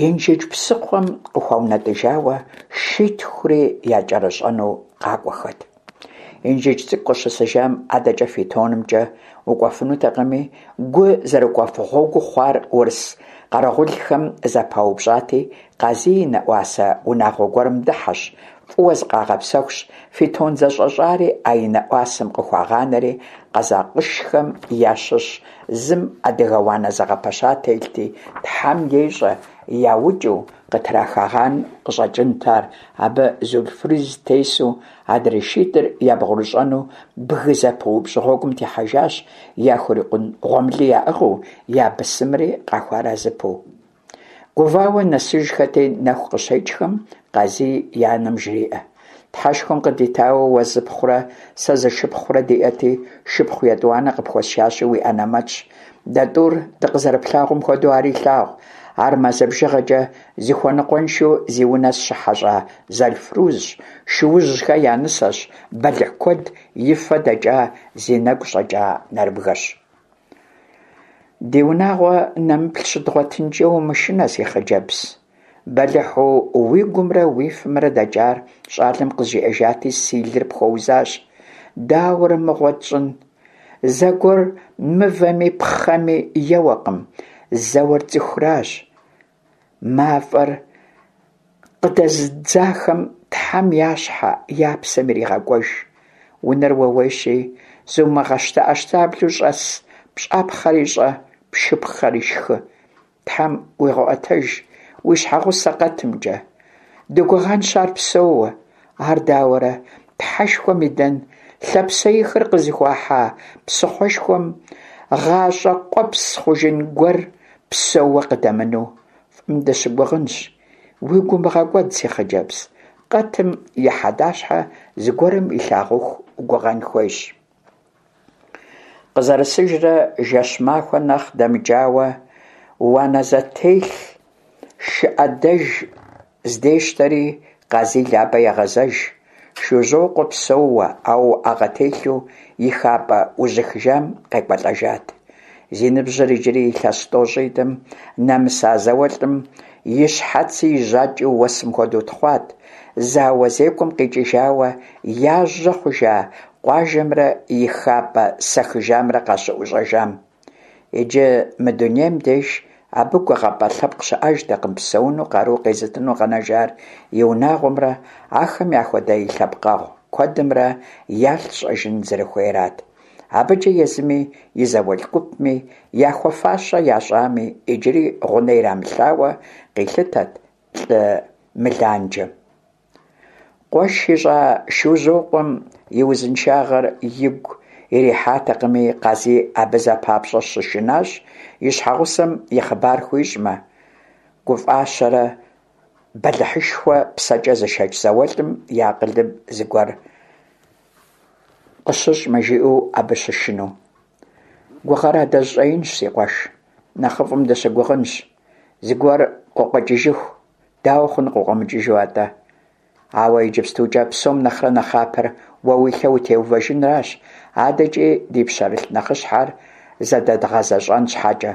Инжыдж псыхъуэм къыхуаунэтӀыжауэ, шитхури якӀэрыщӀэну къакӀуэхэт. Инжыдж цӀыкӀу къыщысыжам адэкӀэ фитонымкӀэ укӀуэфынутэкъыми, гу зэрыкӀуэф гъуэгуу хъуар урыс къэрэгъулхэм зэпаупщӀати, Къазий и нэӀуасэ унагъуэ гуэрым дыхьэщ, фӀыуэ зыкъагъэпсэхущ, фитон зэщӀэщӀари а и нэӀуасэм къыхуагъанэри, къэзакъышхэм ящыщ зым адыгэ уанэ зэгъэпэща телъти, Тхьэм ещӀэ, яукӀыу къытрахагъэн къыщӀэкӀынт ар, абы Зулфруз тесу, адрей шитӀыр ябгъурыщӀэну бгы зэпыупщӀ гъуэгум техьэжащ, яхурикъун гъуэмыли яӀыгъыу, я бысымри къахуэарэзыпэу. Гувауэ нэсыжхэти, нэху къыщекӀхэм Къазий и анэм жреӀэ: «Тхьэшхуэм къыдитауэ уэ зыпхъурэ сэ зы шыпхъурэ диӀэти, шыпхъу етӀуанэ къыпхуэсшащи, уи анэмэтщ. Дэ тӀур дыкъызэрыплъагъум хуэдэу ари лъагъу. Ар мазэ бжыгъэкӀэ зыхуэныкъуэншэу зи унэ сыщыхьэщӀа Зэлфрузщ, Шуужьхэ я нысэщ, бэлыхь куэд и фэ дэкӀа, зи нэгу щӀэкӀа нэрыбгэщ». Ди унагъуэ нэмыплъ щыдгъуэтынкӀэ умышынэ, си хъыджэбз. Бэлыхьу уи гумрэ уи фэмрэ дэкӀар щӀалэм къызжиӀэжати, си лыр пхуэузащ. Дауэрэ мыгъуэ тщӀын? Зэгуэр мывэми пхъэми еуэкъым, зэуэр цӀыхуращ. МафӀэр къыдэзыдзахэм тхьэм я щхьэ, я псэм иригъэкӀуэж. Унэр ууейщи, зумыгъэщтэӀэщтаблэу щӀэс, пщӀапхъэри щӀэ, пшхыпхъэри шхы. Тхьэм уигъэӀуэтэж уи щхьэгъусэ къэтымкӀэ. Дыгугъэнщ ар псэууэ. Ар дауэрэ тхьэшхуэм идэн, лъапсэихыр къызыхуахьа псыхъуэшхуэм гъащӀэ къуэпс хъужын гуэр псэууэ къыдэмыну? ФӀым дыщыгугъынщ. Уигу умыгъэкӀуэд, си хъыджэбз, къэтым и хьэдащхьэ зыгуэрым илъагъуху гугъэн хуейщ. Къызэрысыжрэ жэщ-махуэ нэхъ дэмыкӀауэ, уанэ зэтелъ, шы Ӏэдэж здещтэри, Къазий Лабэ егъэзэж. Шужьокъуэ псэууэ, ауэ уӀэгъэ телъу и хапӀэ ужьыхыжам къекӀуэлӀэжат. Зи ныбжьыр иджыри илъэс тӀощӀитӀым нэмыса зауэлӀым и щхьэци и жьакӀи уэсым хуэдэу тхъуат, зауэ зекӀуэм къикӀыжауэ яжьэ хъужа къуажэмрэ и хапӀэ сэхыжамрэ къащыӀущӀэжам. Иджы мы дунейм деж абы гугъапӀэ лъэпкъ щыӀэжтэкъым, псэуну къару къезытыну къэнэжар и унагъуэмрэ ахэм яхуэдэ и лъэпкъэгъу куэдымрэ ялъ щӀэжын зэрыхуейрат. АбыкӀэ езыми и зауэлӀ гупми яхуэфащэ ящӀами, иджыри гъунэ ирамылъауэ къилъытэрт лӀы мыланджэм. Къуэш ищӀа Шужьокъуэм и узыншагъэр игу ирихьатэкъыми, Къазий абы зэ папщӀэ щышынащ и щхьэгъусэм и хъыбар хуищӀмэ, гуфӀащэрэ бэлыхьышхуэ псэкӀэ зышэч зауэлӀым и акъылым зыгуэр къыщыщӀмэ, жиӀэу абы щышынэу. Гугъэр адэжь щӀэинщ, си къуэш, нэхъыфӀым дыщыгугъынщ, зыгуэр къыкъуэкӀыжыху. Дауэ хъун къыкъуэмыкӀыжу атӀэ? Ауэ иджыпстукӀэ псом нэхърэ нэхъапэр уэ уи лъэ утеувэжынращ, адэкӀи ди пщэрылъ нэхъыщхьэр зэдэдгъэзэщӀэн щхьэкӀэ.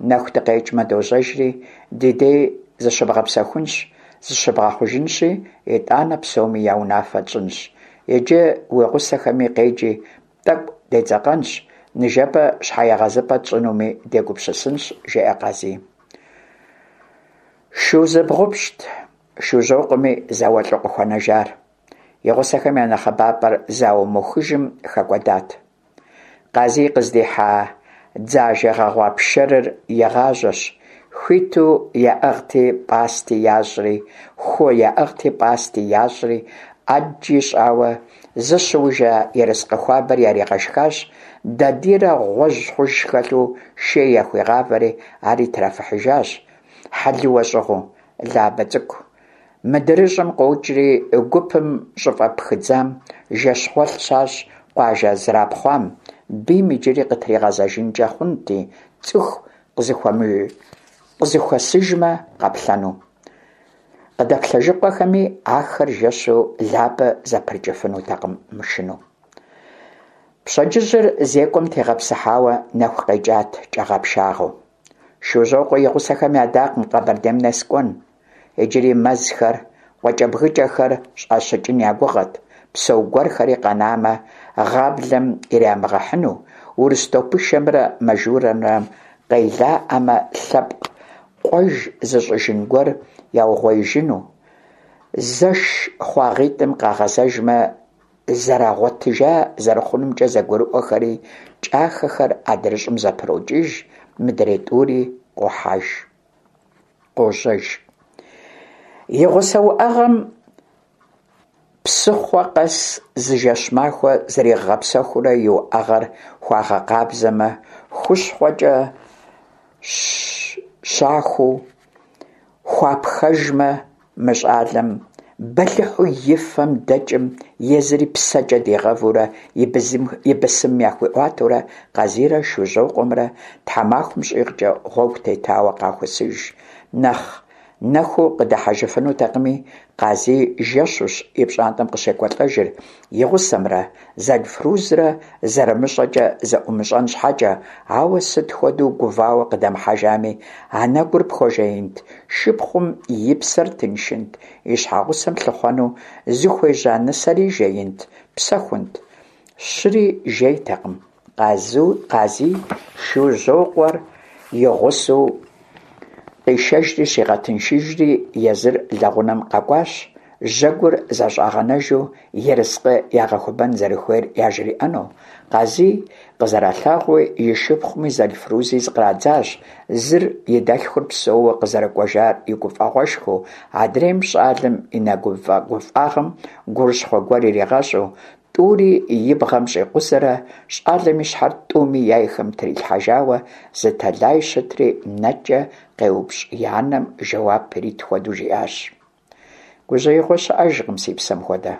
Нэху дыкъекӀмэ дожьэжри, ди дей зыщыбгъэпсэхунщ, зыщыбгъэхъужынщи, итӀанэ псоми я унафэ тщӀынщ. Иджы уи гъусэхэми къеджи, тӀэкӀу дедзэкъэнщ, ныжэбэ щхьэегъэзыпӀэ тщӀынуми дегупсысынщ, жеӀэ Къазий. Шу зыбгъупщӀт Шужьокъуэми зауэлӀу къыхуэнэжар. И гъусэхэм я нэхъыбапӀэр зауэ мыухыжым хэкӀуэдат. Къазий къыздихьа дзажэ гъэгъуа пшэрыр игъажьэщ, хуиту яӀыгъти пӀасти ящӀри, ху яӀыгъти пӀасти ящӀри, Ӏэджи щӀауэ зыщыужа ерыскъы хуабэр яригъэшхащ, дадийрэ гъуэжь хъуж хэлъу шей яхуигъавэри, ари трафыхьыжащ, хьэлыуэ щӀыгъуу. Лабэ цӀыкӀу мыдрыщӀым къокӀри, гупым щӀыпӀэ пхыдзам жэщгъуэлъ щащӀ, къуажэ зэрапхъуам, бийм иджыри къытригъэзэжынкӀэ хъунти, цӀыху къызэхуэсыжмэ къэплъэну. Къыдэплъэжыкъуэхэми, ахэр жэщу Лабэ зэпрыкӀыфынутэкъым мышынэу. Пщэдджыжьыр зекӀуэм тегъэпсыхьауэ нэху къекӀат кӀагъэпшагъэу. Шужьокъуэ и гъусэхэм ядакъым Къэбэрдейм нэс кӀуэн. Иджыри мэзхэр, къуакӀэбгыкӀэхэр щӀащыкӀын я гугъэт, псэу гуэрхэри къэнамэ, гъаблэм ирамыгъэхьыну, урыс топышэмрэ мажурэмрэ къелаӀэмэ, лъэпкъ къуэж зыщӀыжын гуэр яугъуеижыну, зэш хъуагъитӀым къагъэзэжмэ, зэрыгъуэтыжа зэрыхъунумкӀэ зэгурыӀуэхэри, кӀахэхэр адрыщӀым зэпрокӀыж, мыдрей тӀури къохьэж, къожьэж. И гъусэ уӀэгъэм псыхъуэ къэс зы жэщ-махуэ зригъэгъэпсэхуурэ и уӀэгъэр хуагъэкъабзэмэ, хущхъуэкӀэ щахуу хуапхэжмэ, мы щӀалэм бэлыхьу и фэм дэкӀым езыри псэкӀэ дигъэвурэ и бысымым яхуиӀуатэурэ, Къазийрэ Шужьокъуэмрэ тхьэмахуэм щӀигъукӀэ гъуэгу тетауэ къахосыж, нэхъ Нэхуу къыдыхьэжыфынутэкъыми, Къазий жэщущ и пщӀантӀэм къыщекӀуэлӀэжыр, и гъусэмрэ Зэлфрузрэ зэрымыщӀэкӀэ зэӀумыщӀэн щхьэкӀэ, ауэ сыт хуэдэу гувауэ къыдэмыхьэжами, анэгур пхуэжеинт, шыпхъум и псэр тыншынт, и щхьэгъусэм лъыхъуэну зыхуежьа нысэри жеинт, псэхунт. Щыри жейтэкъым. Къазий Шужьокъуэр и гъусэу къишэжри щигъэтыншыжри, езыр лэгъунэм къэкӀуащ, жьэгур зэщӀагъэнэжу ерыскъы ягъэхуэбэн зэрыхуейр яжриӀэну. Къазий къызэралъагъууи и шыпхъуми Зэлфрузи зыкърадзащ, зыр и дэлъхур псэууэ къызэрыкӀуэжар и гуфӀэгъуэшхуэу, адрейм щӀалэм и нэгуфӀэгуфӀагъым гурыщхъуэ гуэр иригъэщӀу, тӀури и бгъэм щӀикъузэрэ щӀалэм и щхьэр тӀуми яйхэм трилъхьэжауэ зы тэлай щытри, нэкӀэ къеупщӀ и анэм жэуап ирит хуэдэу жиӀащ: «Гужьеигъуэ щыӀэжкъым, си псэм хуэдэ,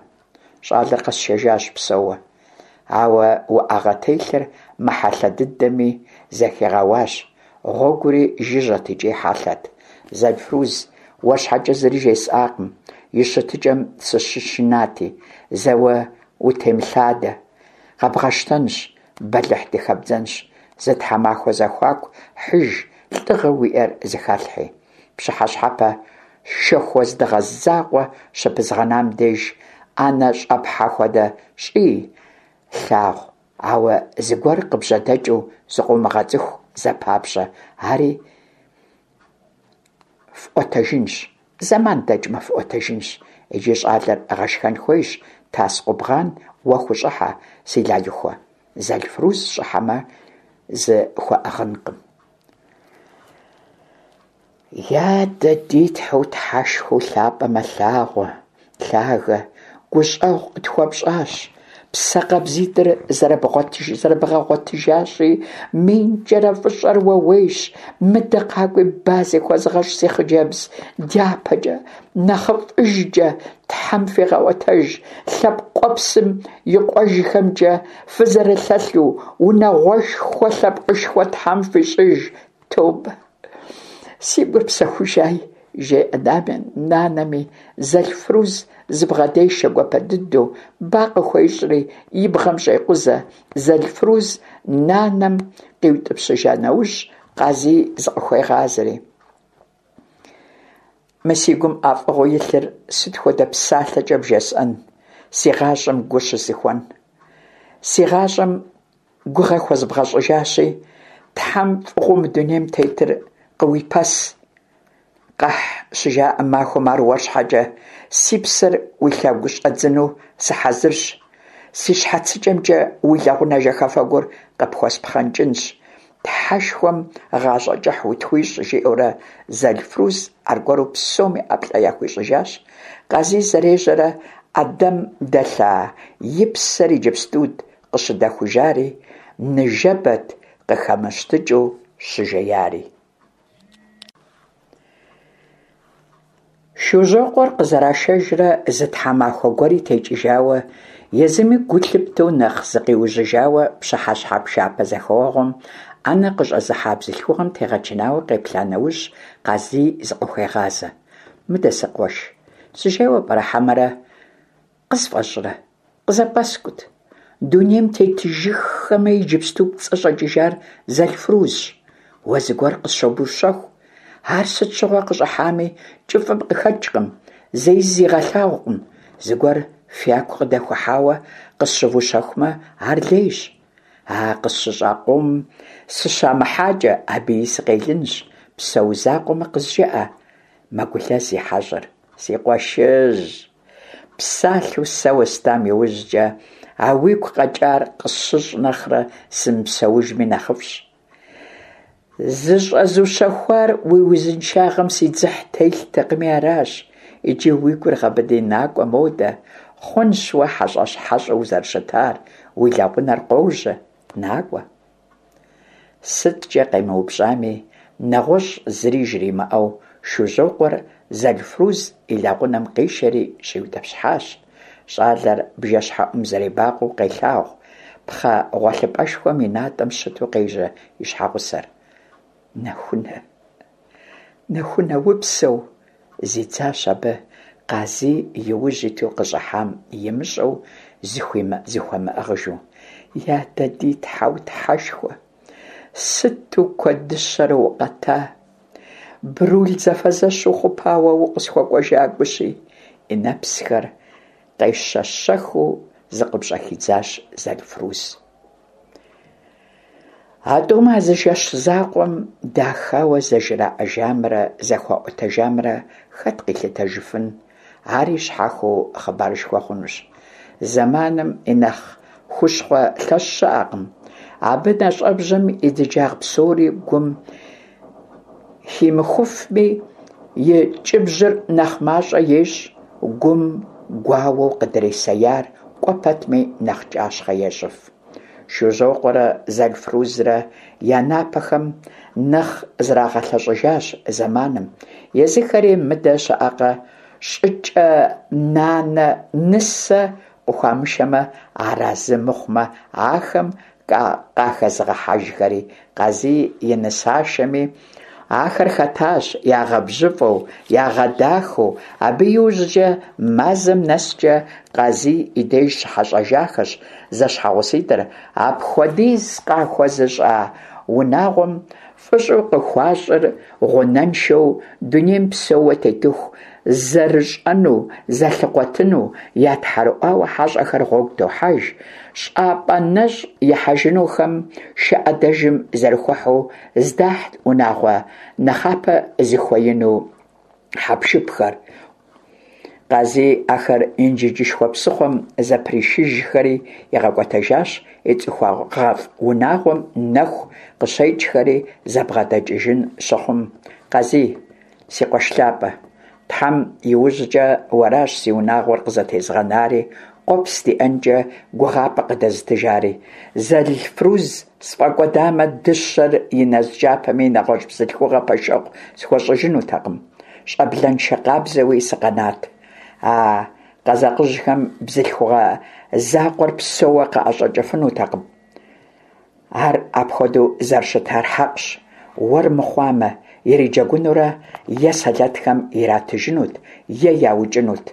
щӀалэр къэсшэжащ псэууэ, ауэ уӀэгъэ телъыр мыхьэлъэ дыдэми, зэхигъэуащ, гъуэгури жыжьэт икӀи хьэлъэт. Зэлфруз, уэр щхьэкӀэ зыри жесӀакъым, и щытыкӀэм сыщышынати, зэуэ утемылъадэ, къэбгъэщтэнщ, бэлыхь дыхэбдзэнщ, зы тхьэмахуэ зэхуаку хьыж, лӀыгъэу уиӀэр зыхэлъхьи. Пщыхьэщхьэпэ шэху уэздыгъэ закъуэ щыпызгъэнам деж Ӏэнэ щӀэпхьэ хуэдэ щӀыи, лъагъу, ауэ зыгуэр къыбжьэдэкӀыу зыкъыумыгъэцӀыху зэпапщӀэ, ари фӀуэтэжынщ, зэман дэкӀмэ фӀуэтэжынщ. Иджы щӀалэр гъэшхэн хуейщ, тас-къубгъан уэ хущӀыхьэ, си Лалыхуэ, Зэлфруз щӀыхьэмэ, зыхуэӀыгъынкъым». Я дэ ди Тхьэу Тхьэшхуэу лъапӀэ мэлъагъуэ, лъагэ, гущӀэгъу къытхуэпщӀащ, псэ къабзитӀыр зэрыбгъэгъуэтыжащи, минкӀэрэ фӀыщӀэр ууейщ. Мыдэ къакӀуи ба зыхуэзгъэщӀ, си хъыджэбз, дяпэкӀэ нэхъыфӀыжкӀэ Тхьэм фигъэӀуэтэж, лъэпкъ къуэпсым и къуэжхэмкӀэ фызэрылъэлъу, унагъуэшхуэ, лъэпкъышхуэ Тхьэм фищӀыж, тобэ, си гур псэхужаи, жеӀэ нанэми, Зэлфруз зыбгъэдешэ гуапэ дыдэу, ба къыхуещӀри и бгъэм щӀекъузэ. Зэлфруз нанэм къиутӀыпщыжа нэужь, Къазий зыкъыхуегъазэри: «Мы си гум ӀэфӀыгъэу илъыр сыт хуэдэ псалъэкӀэ бжесӀэн, си гъащӀэм гу щызыхуэн? Си гъащӀэм гугъэ хуэзбгъэщӀыжащи, Тхьэм фӀыгъуэу мы дунейм тетыр къыуипэс. Къэхь щыжаӀэ махуэм ар уэр щхьэкӀэ си псэр уи лъэгу щӀэдзыну сыхьэзырщ, си щхьэцыкӀэмкӀэ уи лэгъунэ жэхэфэгур къыпхуэспхъэнкӀынщ, Тхьэшхуэм гъащӀэ кӀыхь утхуищӀ», жиӀэурэ Зэлфруз аргуэру псоми ӀэплӀэ яхуищӀыжащ. Къазий зэрежьэрэ Ӏэдэм дэлъа и псэр иджыпстут къыщыдэхужари, ныжэбэт къыхэмыщтыкӀыу щыжеяри. Шужьокъуэр къызэрашэжрэ зы тхьэмахуэ гуэри текӀыжауэ, езыми гу лъыптэу нэхъ зыкъиужьыжауэ, пщыхьэщхьэ пшапэ зэхэуэгъуэм Ӏэнэ къыщӀэзыхьа бзылъхугъэм тегъэчынауэ къеплъа нэужь, Къазий зыкъыхуегъазэ: «Мыдэ, си къуэш, сыжейуэ пӀэрэ хьэмэрэ къысфӀэщӀрэ? КъызэпӀэскӀут. Дунейм тетыжыххэмэ, иджыпсту пӀэщӀэкӀыжар Зэлфрузщ. Уэ зыгуэр къысщобущэху. Ар сыт щыгъуэ къыщӀыхьами, кӀыфӀым къыхэкӀкъым, зэи зигъэлъагъукъым. Зыгуэр фяку къыдэхъухьауэ къысщывущэхумэ, ар лейщ. А къысщыщӀа къомым сыщамыхьакӀэ, абыи сыкъелынщ. Псэу закъуэмэ, къызжеӀэ, мэгулэз и хьэщӀэр. Си къуэшыжь, псалъэу сэ уэстам иужькӀэ, а уигу къэкӀар къысщыщӀ нэхърэ сымыпсэужми нэхъыфӀщ. ЗыщӀэзущэхуар уи узыншагъэм си дзыхь телътэкъыми аращ. Иджы уи гур гъэбыди накӀуэ модэ. Хъунщ уэ хьэщӀэщ хьэщӀэу узэрыщытар, уи лэгъунэр къожьэ, накӀуэ». СыткӀэ къемыупщӀами, нэгъуэщӀ зыри жримыӀэу, Шужьокъуэр Зэлфруз и лэгъунэм къишэри щӀиутӀыпщхьащ. ЩӀалэр бжэщхьэӀум зэребакъуэу къелъагъу пхъэ гъуэлъыпӀэшхуэм и натӀэм щыту къежьэ и щхьэгъусэр. «Нэхунэ, Нэхунэ, упсэу, зидзащ абы, Къазий и ужь иту къыщӀыхьам имыщӀэу зыхуэмыӀыгъыжу. Я дэ ди Тхьэу Тхьэшхуэ, сыту куэдыщэрэ укъэта, Брул зэфэзэщ ухъупауэ укъысхуэкӀуэжа гущи, - и нэпсхэр къещэщэхыу зыкъыпщӀэхидзащ Зэлфруз. А тӀум а зы жэщ закъуэм дахауэ зэжраӀэжамрэ зэхуаӀуэтэжамрэ хэт къилъытэжыфын, ари щхьэхуэу хъыбарышхуэ хъунущ. Зэманым и нэхъ хущхъуэ лъэщ щыӀэкъым. Абы нэщӀэбжьэм и дыджагъ псори гум химыхуфми, и ткӀыбжьыр нэхъ мащӀэ ещӀ, гум гуауэу къыдрисеяр кӀуэ пэтми нэхъ кӀащхъэ ещӀыф. Шужьокъуэрэ Зэлфрузрэ я напэхэм нэхъ зрагъэлъэщӀыжащ зэманым, езыхэри, мыдэ щыӀэкъэ, щӀыкӀэнанэ нысэ къыхуамышэмэ арэзы мыхъумэ, ахэм къахэзыгъэхьэжхэри, Къазий и нысашэми ахэр хэтащ, ягъэбжьыфӀэу, ягъэдахэу, абы иужькӀэ мазэм нэскӀэ Къазий и деж щыхьэщӀэжахэщ зэщхьэгъуситӀыр, апхуэдиз къахуэзыщӀа унагъуэм фӀыщӀэу къыхуащӀыр гъунэншэу, дунейм псэууэ тетыху зэрыщӀэну, зэлъыкъуэтыну я тхьэрыӀуауэ хьэщӀэхэр гъуэгу тохьэж, щӀапӀэ нэщӀ ихьэжынухэм шы Ӏэдэжым зэрыхуэхьу здахьт унагъуэ нэхъапэ зыхуеину хьэпшыпхэр. Къазий ахэр Инжыджышхуэ псыхъуэм зэпришыжхэри игъэкӀуэтэжащ, и цӀыхугъэфӀ унагъуэм нэху къыщекӀхэри зэбгъэдэкӀыжын щыхъум, «Къазий, си къуэш лъапӀэ, Тхьэм и ужькӀэ уэращ си унагъуэр къызэтезыгъэнари, къуэпс диӀэнкӀэ гугъапӀэ къыдэзытыжари. Зэлфруз сфӀэкӀуэдамэ, дыщэр и нэз кӀапэми, нэгъуэщӀ бзылъхугъэ пэшэгъу схуэщӀыжынутэкъым, щӀэблэншэ къабзэуи сыкъэнат. А къэзакъыжьхэм бзылъхугъэ закъуэр псэууэ къаӀэщӀэкӀыфынутэкъым. Ар апхуэдэу зэрыщытар хьэкъщ, уэр мыхъуамэ, ириджэгунурэ е сэлэтхэм иратыжынут, е яукӀынут.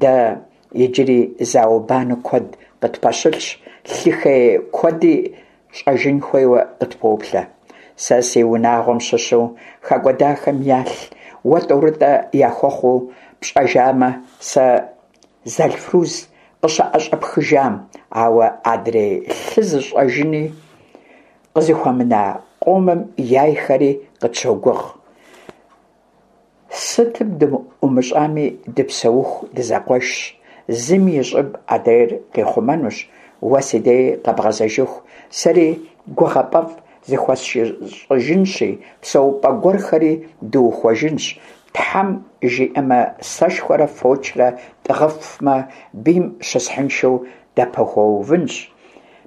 Дэ иджыри зауэ-банэ куэд къытпэщылъщ, лъы хей куэди щӀэжын хуейуэ къытпоплъэ. Сэ си унагъуэм щыщу хэкӀуэдахэм ялъ уэ тӀорытӀэ яхуэхъуу пщӀэжамэ, сэ Зэлфруз къыщыӀэщӀэпхыжам, ауэ адрей лъы зыщӀэжыни къызыхуэмына къомым яйхэри къытщогугъ. Сытым дыӀумыщӀами, дыпсэуху дызэкъуэшщ, зым и щӀыб адрейр къихъумэнущ. Уэ си деж къэбгъэзэжыху, сэри гугъапӀэфӀ зыхуэсщӀыжынщи, псэупӀэ гуэрхэри дыухуэжынщ, Тхьэм жиӀэмэ, сэшхуэрэ фочрэ тӀыгъыфмэ, бийм щысхьыншэу дапэувынщ,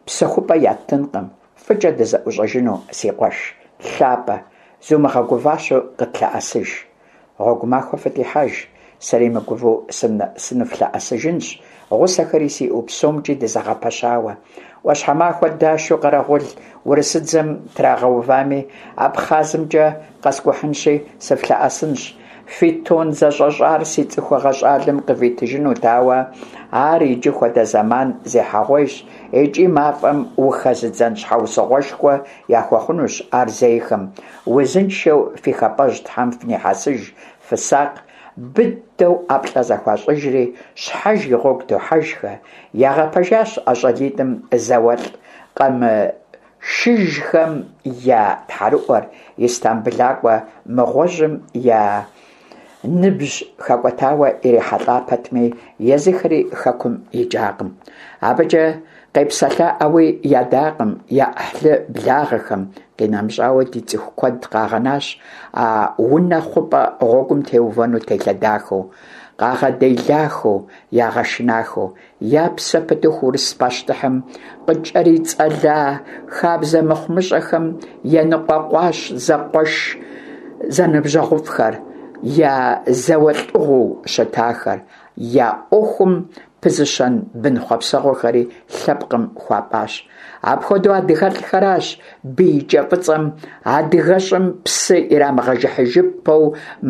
псэхупӀэ яттынкъым. ФӀыкӀэ дызэӀущӀэжыну, си къуэш лъапӀэ, зумыгъэгуващэу къытлъэӀэсыж. Гъуэгу махуэ фытехьэж, сэри мыгувэу сыныфлъэӀэсыжынщ, гъусэхэри сиӀэу, псомкӀи дызэгъэпэщауэ. Ӏуащхьэмахуэ дашу къэрэгъул урысыдзэм трагъэувами, АбхъазымкӀэ къэскӀухьынщи, сыфлъэӀэсынщ. Фитон зэщӀэщӀар си цӀыхугъэ щӀалэм къывитыжынут, ауэ ар иджы хуэдэ зэман зехьэгъуейщ икӀи мафӀэм ухэзыдзэн щхьэусыгъуэшхуэ яхуэхъунущ ар зейхэм. Узыншэу фи хапӀэжь Тхьэм фынихьэсыж, фысакъ!» Быдэу ӀэплӀэ зэхуащӀыжри, щхьэж и гъуэгу тохьэжхэ. Ягъэпэжащ а щӀалитӀым зауэлӀ къэмышыжхэм я тхьэрыӀуэр, истамбылакӀуэ мыгъуэжьым я ныбжь хэкӀуэтауэ ирихьэлӀа пэтми, езыхэри хэкум икӀакъым. АбыкӀэ къепсэлъаӀауи ядакъым я Ӏыхьлы благъэхэм, къинэмыщӀауэ, ди цӀыху куэд къагъэнащ а унэ хъупӀэ гъуэгум теувэну телъэдахэу, къагъэделахэу, ягъэшынахэу. Я псэ пытыху урыс пащтыхьым къыкӀэрицӀэла хабзэ мыхъумыщӀэхэм еныкъуэкъуащ зэкъуэш зэныбжьэгъуфӀхэр, я зауэлӀыгъуэу щытахэр, я Ӏуэхум пызыщэн бын хъуэпсэгъуэхэри лъэпкъым хуапӏащ. Апхуэдэу адыгэлӏхэращ бий кӏэ фӏыцӏэм адыгэщӏым псы ирамыгъэжыхьыжыпэу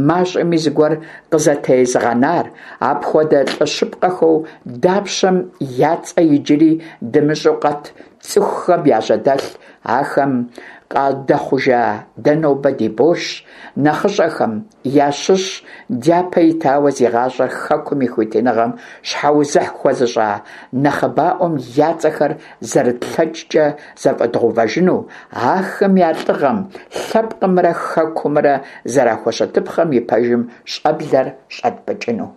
мащӏэми зыгуэр къызэтезыгъэнар, апхуэдэ лӏы щыпкъэхэу дапщэм я цӏэ иджыри дымыщӏэу къэт цӏыхухэм яжьэдэлъ, ахэм къадэхъужа дэ нобэ ди боршщ нэхъыщӏэхэм ящыщ дяпэ итауэ зи гъащӏэр хэкум и хуитыныгъэм щхьэузыхь хуэзыщӏа нэхъыбаӏуэм я цӏэхэр зэрытлъэкӏкӏэ зэфӏэдгъэувэжыну, ахэм я лӏыгъэм, лъэпкъымрэ хэкумрэ зэрахущытыпхъэм и пэжым щӏэблэр щӏэтпӏыкӏыну.